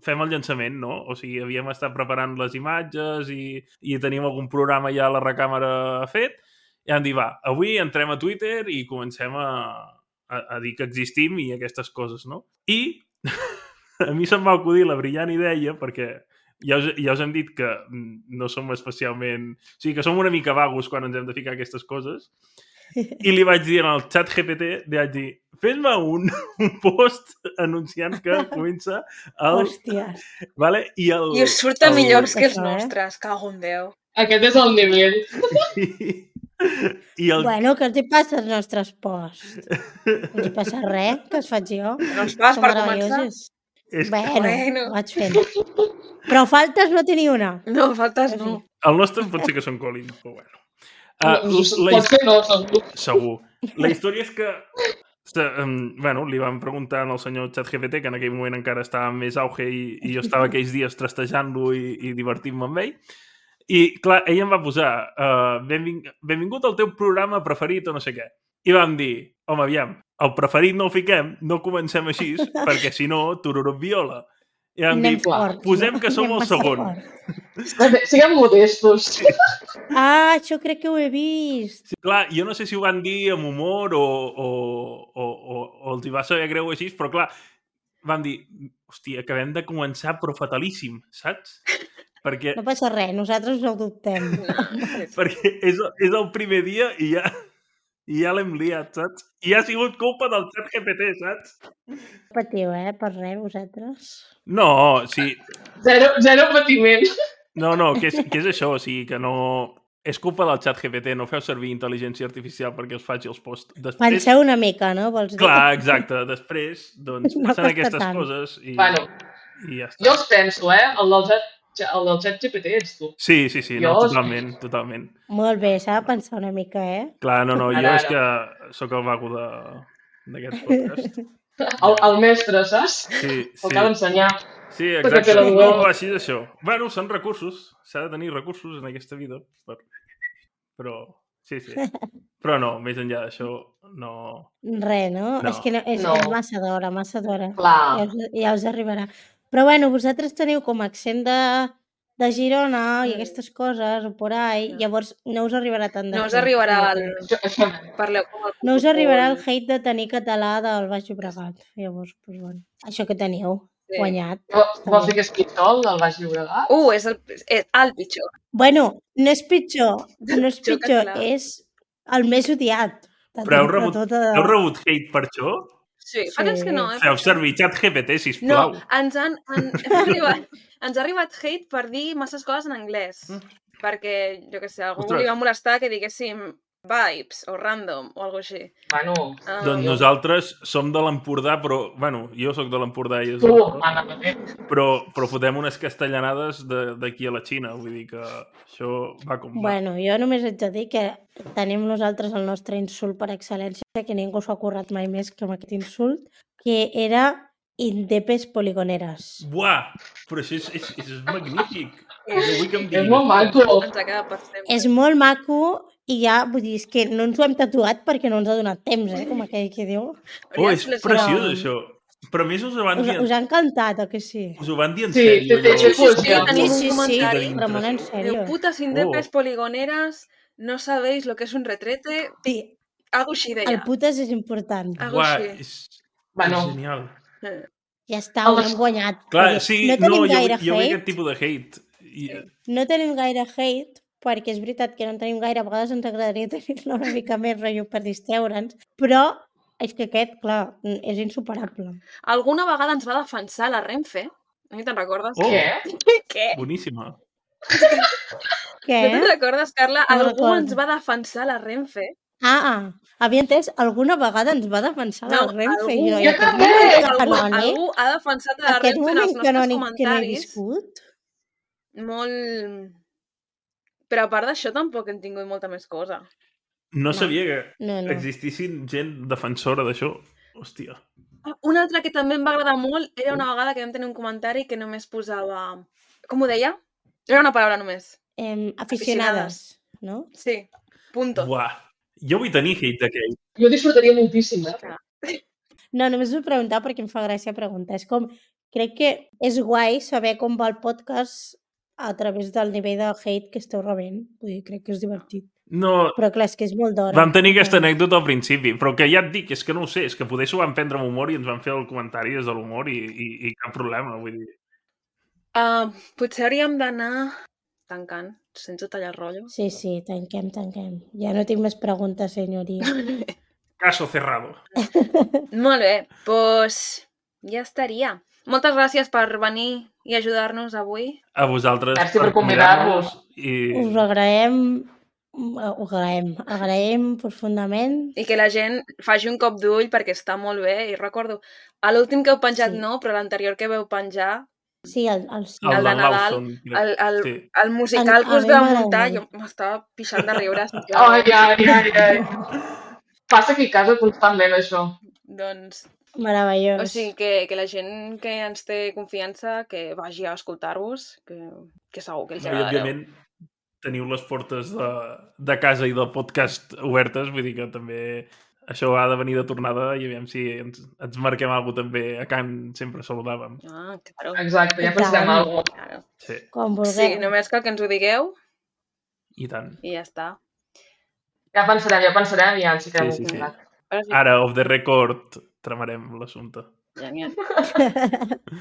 [SPEAKER 5] fem el llançament, no? O sigui, havíem estat preparant les imatges i teníem algun programa ja a la recàmera fet, i vam dir, va, avui entrem a Twitter i comencem a dir que existim i aquestes coses, no? I a mi se'm va acudir la brillant idea, perquè ja us hem dit que no som especialment... O sigui, que som una mica vagos quan ens hem de ficar aquestes coses. I li vaig dir en el xat GPT, li vaig dir, fes-me un post anunciant que comença el...
[SPEAKER 2] Hòsties.
[SPEAKER 5] Vale? I
[SPEAKER 1] us surten millors que els
[SPEAKER 2] Això,
[SPEAKER 1] nostres, cago en Déu.
[SPEAKER 4] Aquest és el nivell.
[SPEAKER 5] I el...
[SPEAKER 2] Bueno, què els hi passa als nostres posts? No els hi passa res, que es faig jo.
[SPEAKER 1] No es fas
[SPEAKER 2] Són
[SPEAKER 1] per començar?
[SPEAKER 2] meravellosos.
[SPEAKER 5] És...
[SPEAKER 2] Bueno, vaig fent. Però faltes no tenir una.
[SPEAKER 1] No, faltes
[SPEAKER 2] En fi.
[SPEAKER 1] no.
[SPEAKER 5] El nostre pot ser que són Collins, però bueno.
[SPEAKER 4] Pot ser no, segur.
[SPEAKER 5] Segur. La història és que bueno, li vam preguntar al senyor ChatGPT, que en aquell moment encara estava en més auge i jo estava aquells dies trastejant-lo i divertint-me amb ell. I, clar, ell em va posar benvingut al teu programa preferit o no sé què. I vam dir, home, aviam, el preferit no el fiquem, no comencem així, perquè si no, tururut viola. I vam dir, posem que som el segon.
[SPEAKER 4] Siguem modestos.
[SPEAKER 2] Ah, això crec que ho he vist.
[SPEAKER 5] Sí, clar, jo no sé si ho van dir amb humor o els hi va saber greu així, però clar, van dir, hòstia, acabem de començar però fatalíssim, saps? Perquè,
[SPEAKER 2] No passa res, nosaltres no ho dubtem.
[SPEAKER 5] perquè és el primer dia i ja l'hem liat, saps? I ha sigut culpa del ChatGPT, saps?
[SPEAKER 2] No patiu, per res, vosaltres.
[SPEAKER 5] No, sí.
[SPEAKER 4] Zero patiment.
[SPEAKER 5] No, que és això, o sigui, que no... És culpa del ChatGPT, no feu servir intel·ligència artificial perquè els faci els posts. Després...
[SPEAKER 2] Penseu una mica, no? Vols dir?
[SPEAKER 5] Clar, exacte. Després, doncs,
[SPEAKER 2] No
[SPEAKER 5] passen
[SPEAKER 2] costa
[SPEAKER 5] aquestes
[SPEAKER 2] tant.
[SPEAKER 5] coses i ja està.
[SPEAKER 4] Jo els penso, el del chat GPT ets tu.
[SPEAKER 5] Sí, no,
[SPEAKER 4] Jo-
[SPEAKER 5] totalment.
[SPEAKER 2] Molt bé, s'ha de pensar una mica,
[SPEAKER 5] Clar, no, jo
[SPEAKER 4] Ara.
[SPEAKER 5] és que sóc el vago d'aquest podcast.
[SPEAKER 4] El mestre, saps?
[SPEAKER 5] Sí,
[SPEAKER 4] El que ha d'ensenyar.
[SPEAKER 5] Sí,
[SPEAKER 4] Perquè
[SPEAKER 5] exacte.
[SPEAKER 4] te lo
[SPEAKER 5] No, així és això. Bueno, són recursos. S'ha de tenir recursos en aquesta vida. Però, sí. Però no, més enllà d'això, no...
[SPEAKER 2] Res, no?
[SPEAKER 5] No.
[SPEAKER 2] És que no, és massa d'hora.
[SPEAKER 4] Clar.
[SPEAKER 2] Ja us arribarà. Però bueno, vosaltres teniu com accent de Girona i aquestes coses, o por ahí, llavors no us arribarà tant de
[SPEAKER 1] No us
[SPEAKER 2] hate.
[SPEAKER 1] arribarà el...
[SPEAKER 4] Això
[SPEAKER 1] Parleu com el...
[SPEAKER 2] No us arribarà el hate de tenir català del Baix Llobregat. Llavors, doncs, bueno, això que teniu,
[SPEAKER 1] Sí.
[SPEAKER 2] guanyat.
[SPEAKER 4] Vols dir que és pitjor, el del Baix Llobregat?
[SPEAKER 1] És el pitjor.
[SPEAKER 2] Bueno, no és pitjor,
[SPEAKER 1] Pitjor català.
[SPEAKER 2] és el més odiat.
[SPEAKER 5] Però heu rebut hate per això?
[SPEAKER 1] Sí, fa temps que no,
[SPEAKER 5] Feu servir ChatGPT,
[SPEAKER 1] No,
[SPEAKER 5] sisplau.
[SPEAKER 1] ens ha arribat hate per dir masses coses en anglès. Perquè, jo què sé, algú
[SPEAKER 5] Ostres.
[SPEAKER 1] li va molestar que diguéssim vibes o random o alguna cosa així.
[SPEAKER 4] Bueno,
[SPEAKER 5] Doncs nosaltres som de l'Empordà, però... Bueno, jo sóc de l'Empordà i és
[SPEAKER 4] tu,
[SPEAKER 5] l'Empordà,
[SPEAKER 4] Anna Mateix.
[SPEAKER 5] però fotem unes castellanades d'aquí a la Xina. Vull dir que això va com va.
[SPEAKER 2] Bueno, jo només haig de dir que tenim nosaltres el nostre insult per excel·lència, que ningú s'ha currat mai més que amb aquest insult, que era Indepes poligoneres.
[SPEAKER 5] Buah! Però això és magnífic. Vull que em
[SPEAKER 4] És
[SPEAKER 5] diguis.
[SPEAKER 4] molt maco.
[SPEAKER 1] Ens ha quedat per sempre.
[SPEAKER 2] És molt maco i ja, vull dir, és que no ens ho hem tatuat perquè no ens ha donat temps, com aquell que diu.
[SPEAKER 5] Oh, és
[SPEAKER 1] Hauria de
[SPEAKER 5] preciós,
[SPEAKER 2] però-
[SPEAKER 5] això. Però a més us ho van dir,
[SPEAKER 2] Us ha encantat, o que sí?
[SPEAKER 5] us ho van dir en
[SPEAKER 4] Sí,
[SPEAKER 5] sèrio.
[SPEAKER 4] té
[SPEAKER 5] allò.
[SPEAKER 4] poesia.
[SPEAKER 1] tenim
[SPEAKER 2] Sí,
[SPEAKER 1] un comentari.
[SPEAKER 2] però molt en
[SPEAKER 1] Diu,
[SPEAKER 2] sèrio.
[SPEAKER 1] putas indepes
[SPEAKER 5] Oh.
[SPEAKER 1] poligoneras, no sabéis lo que es un retrete.
[SPEAKER 2] Sí,
[SPEAKER 1] Algo així
[SPEAKER 2] el
[SPEAKER 1] deia.
[SPEAKER 2] putes és important.
[SPEAKER 1] Algo
[SPEAKER 5] Buah,
[SPEAKER 1] així.
[SPEAKER 5] és
[SPEAKER 4] Bueno.
[SPEAKER 5] genial.
[SPEAKER 2] Ja està, ho hem guanyat.
[SPEAKER 5] Clar,
[SPEAKER 2] Vull dir,
[SPEAKER 5] sí,
[SPEAKER 2] no tenim gaire
[SPEAKER 5] jo vull
[SPEAKER 2] hate.
[SPEAKER 5] aquest tipus de hate.
[SPEAKER 2] No tenim gaire hate, perquè és veritat que no en tenim gaire, a vegades ens agradaria tenir-ne una mica més rotllo per distreure'ns, però és que aquest, clar, és insuperable.
[SPEAKER 1] Alguna vegada ens va defensar la Renfe. A mi te'n recordes?
[SPEAKER 5] Oh.
[SPEAKER 4] Què?
[SPEAKER 1] Què?
[SPEAKER 5] Boníssima.
[SPEAKER 2] Què?
[SPEAKER 1] No te'n recordes, Carla?
[SPEAKER 2] No
[SPEAKER 1] Algú
[SPEAKER 2] recordo.
[SPEAKER 1] ens va defensar la Renfe.
[SPEAKER 2] Havia entès, alguna vegada ens va defensar la Renfe.
[SPEAKER 1] algú,
[SPEAKER 2] Jo, i
[SPEAKER 4] jo
[SPEAKER 2] aquest
[SPEAKER 4] també.
[SPEAKER 2] moment
[SPEAKER 1] algú,
[SPEAKER 2] canònic,
[SPEAKER 1] algú ha defensat la
[SPEAKER 2] aquest
[SPEAKER 1] Renfe en els
[SPEAKER 2] moment
[SPEAKER 1] nostres
[SPEAKER 2] canònic que no he
[SPEAKER 1] comentaris.
[SPEAKER 2] viscut,
[SPEAKER 1] Molt... Però a part d'això tampoc hem tingut molta més cosa.
[SPEAKER 5] No sabia que
[SPEAKER 2] no.
[SPEAKER 5] existissin gent defensora d'això. Hòstia.
[SPEAKER 1] Una altra que també em va agradar molt era una vegada que vam tenir un comentari que només posava... Com ho deia? Era una paraula només.
[SPEAKER 2] Aficionades, no?
[SPEAKER 1] Sí, punto.
[SPEAKER 5] Buah. Jo vull tenir hate d'aquell.
[SPEAKER 4] Jo disfrutaria moltíssim,
[SPEAKER 2] No, només us ho preguntava perquè em fa gràcia preguntar. És com, crec que és guai saber com va el podcast a través del nivell de hate que esteu rebent. Vull dir, crec que és divertit.
[SPEAKER 5] No,
[SPEAKER 2] Però clar, és que és molt d'hora.
[SPEAKER 5] vam tenir aquesta anècdota al principi, però que ja et dic, és que no ho sé, és que poder s'ho van prendre amb humor i ens van fer el comentari des de l'humor i cap problema, vull dir.
[SPEAKER 1] Potser hauríem d'anar tancant, sense tallar el rotllo.
[SPEAKER 2] Sí, tanquem. Ja no tinc més preguntes, senyoria.
[SPEAKER 5] Caso cerrado.
[SPEAKER 1] Molt bé, doncs ja estaria. Moltes gràcies per venir i ajudar-nos avui.
[SPEAKER 5] A vosaltres
[SPEAKER 4] Merci per convidar-nos.
[SPEAKER 2] Us agraïm profundament.
[SPEAKER 1] I que la gent faci un cop d'ull perquè està molt bé. I recordo, a l'últim que heu penjat
[SPEAKER 2] Sí.
[SPEAKER 1] no, però l'anterior que veu penjar,
[SPEAKER 2] Sí, el
[SPEAKER 1] el
[SPEAKER 5] El
[SPEAKER 1] de
[SPEAKER 5] de
[SPEAKER 1] Nadal,
[SPEAKER 5] Lawson, crec. Sí.
[SPEAKER 1] el musical
[SPEAKER 2] A
[SPEAKER 1] que us
[SPEAKER 2] mi
[SPEAKER 1] vau
[SPEAKER 2] m'agrada
[SPEAKER 1] muntar,
[SPEAKER 2] molt.
[SPEAKER 1] jo m'estava pixant de riure.
[SPEAKER 4] Ai. Passa aquí a casa constantment, això.
[SPEAKER 1] Doncs,
[SPEAKER 2] meravellós.
[SPEAKER 1] o sigui, que la gent que ens té confiança, que vagi a escoltar-vos, que segur que els
[SPEAKER 5] No, I,
[SPEAKER 1] agradareu.
[SPEAKER 5] òbviament, teniu les portes de casa i del podcast obertes, vull dir que també això ha de venir de tornada i aviam si ens marquem alguna cosa també. A Can sempre saludàvem.
[SPEAKER 1] Ah, claro.
[SPEAKER 4] Exacte, ja
[SPEAKER 2] I
[SPEAKER 4] pensarem
[SPEAKER 2] tant.
[SPEAKER 4] alguna cosa.
[SPEAKER 1] claro.
[SPEAKER 5] Sí,
[SPEAKER 2] Com vulgueu.
[SPEAKER 1] Sí, només cal que ens ho digueu
[SPEAKER 5] i tant.
[SPEAKER 1] i ja està.
[SPEAKER 4] Ja pensarem i ja ens fiquem
[SPEAKER 5] Sí.
[SPEAKER 4] en contacte.
[SPEAKER 1] Ara sí,
[SPEAKER 5] Ara, off the record, tramarem l'assumpte.
[SPEAKER 1] genial.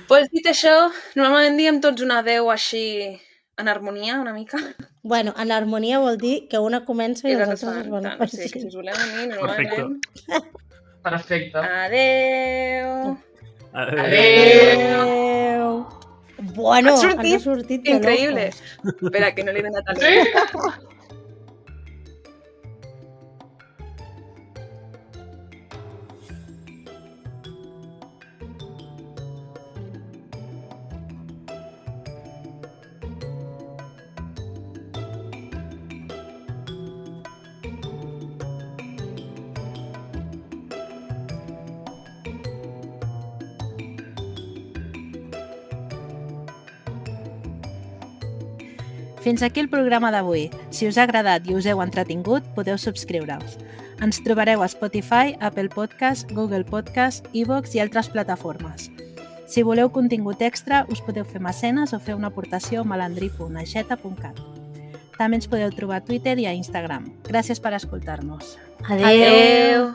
[SPEAKER 1] Pues dit això, normalment diem tots un adeu així en harmonia, una mica.
[SPEAKER 2] Bueno, en harmonia vol dir que una comença i
[SPEAKER 1] I
[SPEAKER 2] els
[SPEAKER 1] les
[SPEAKER 2] altres es van
[SPEAKER 1] fan. Sí, que si us voleu unir, normalment...
[SPEAKER 4] Perfecte.
[SPEAKER 1] Adeu!
[SPEAKER 2] Adéu! Bueno,
[SPEAKER 1] Ha sortit
[SPEAKER 2] ens ha sortit de
[SPEAKER 1] Increïble!
[SPEAKER 2] locos.
[SPEAKER 1] Espera, que no li he donat al
[SPEAKER 4] Sí?
[SPEAKER 3] Fins aquí el programa d'avui. Si us ha agradat i us heu entretingut, podeu subscriure-us. Ens trobareu a Spotify, Apple Podcast, Google Podcast, iVoox i altres plataformes. Si voleu contingut extra, us podeu fer mecenes o fer una aportació a malandrí.aixeta.cat. També ens podeu trobar a Twitter i a Instagram. Gràcies per escoltar-nos.
[SPEAKER 2] Adéu!
[SPEAKER 1] Adeu!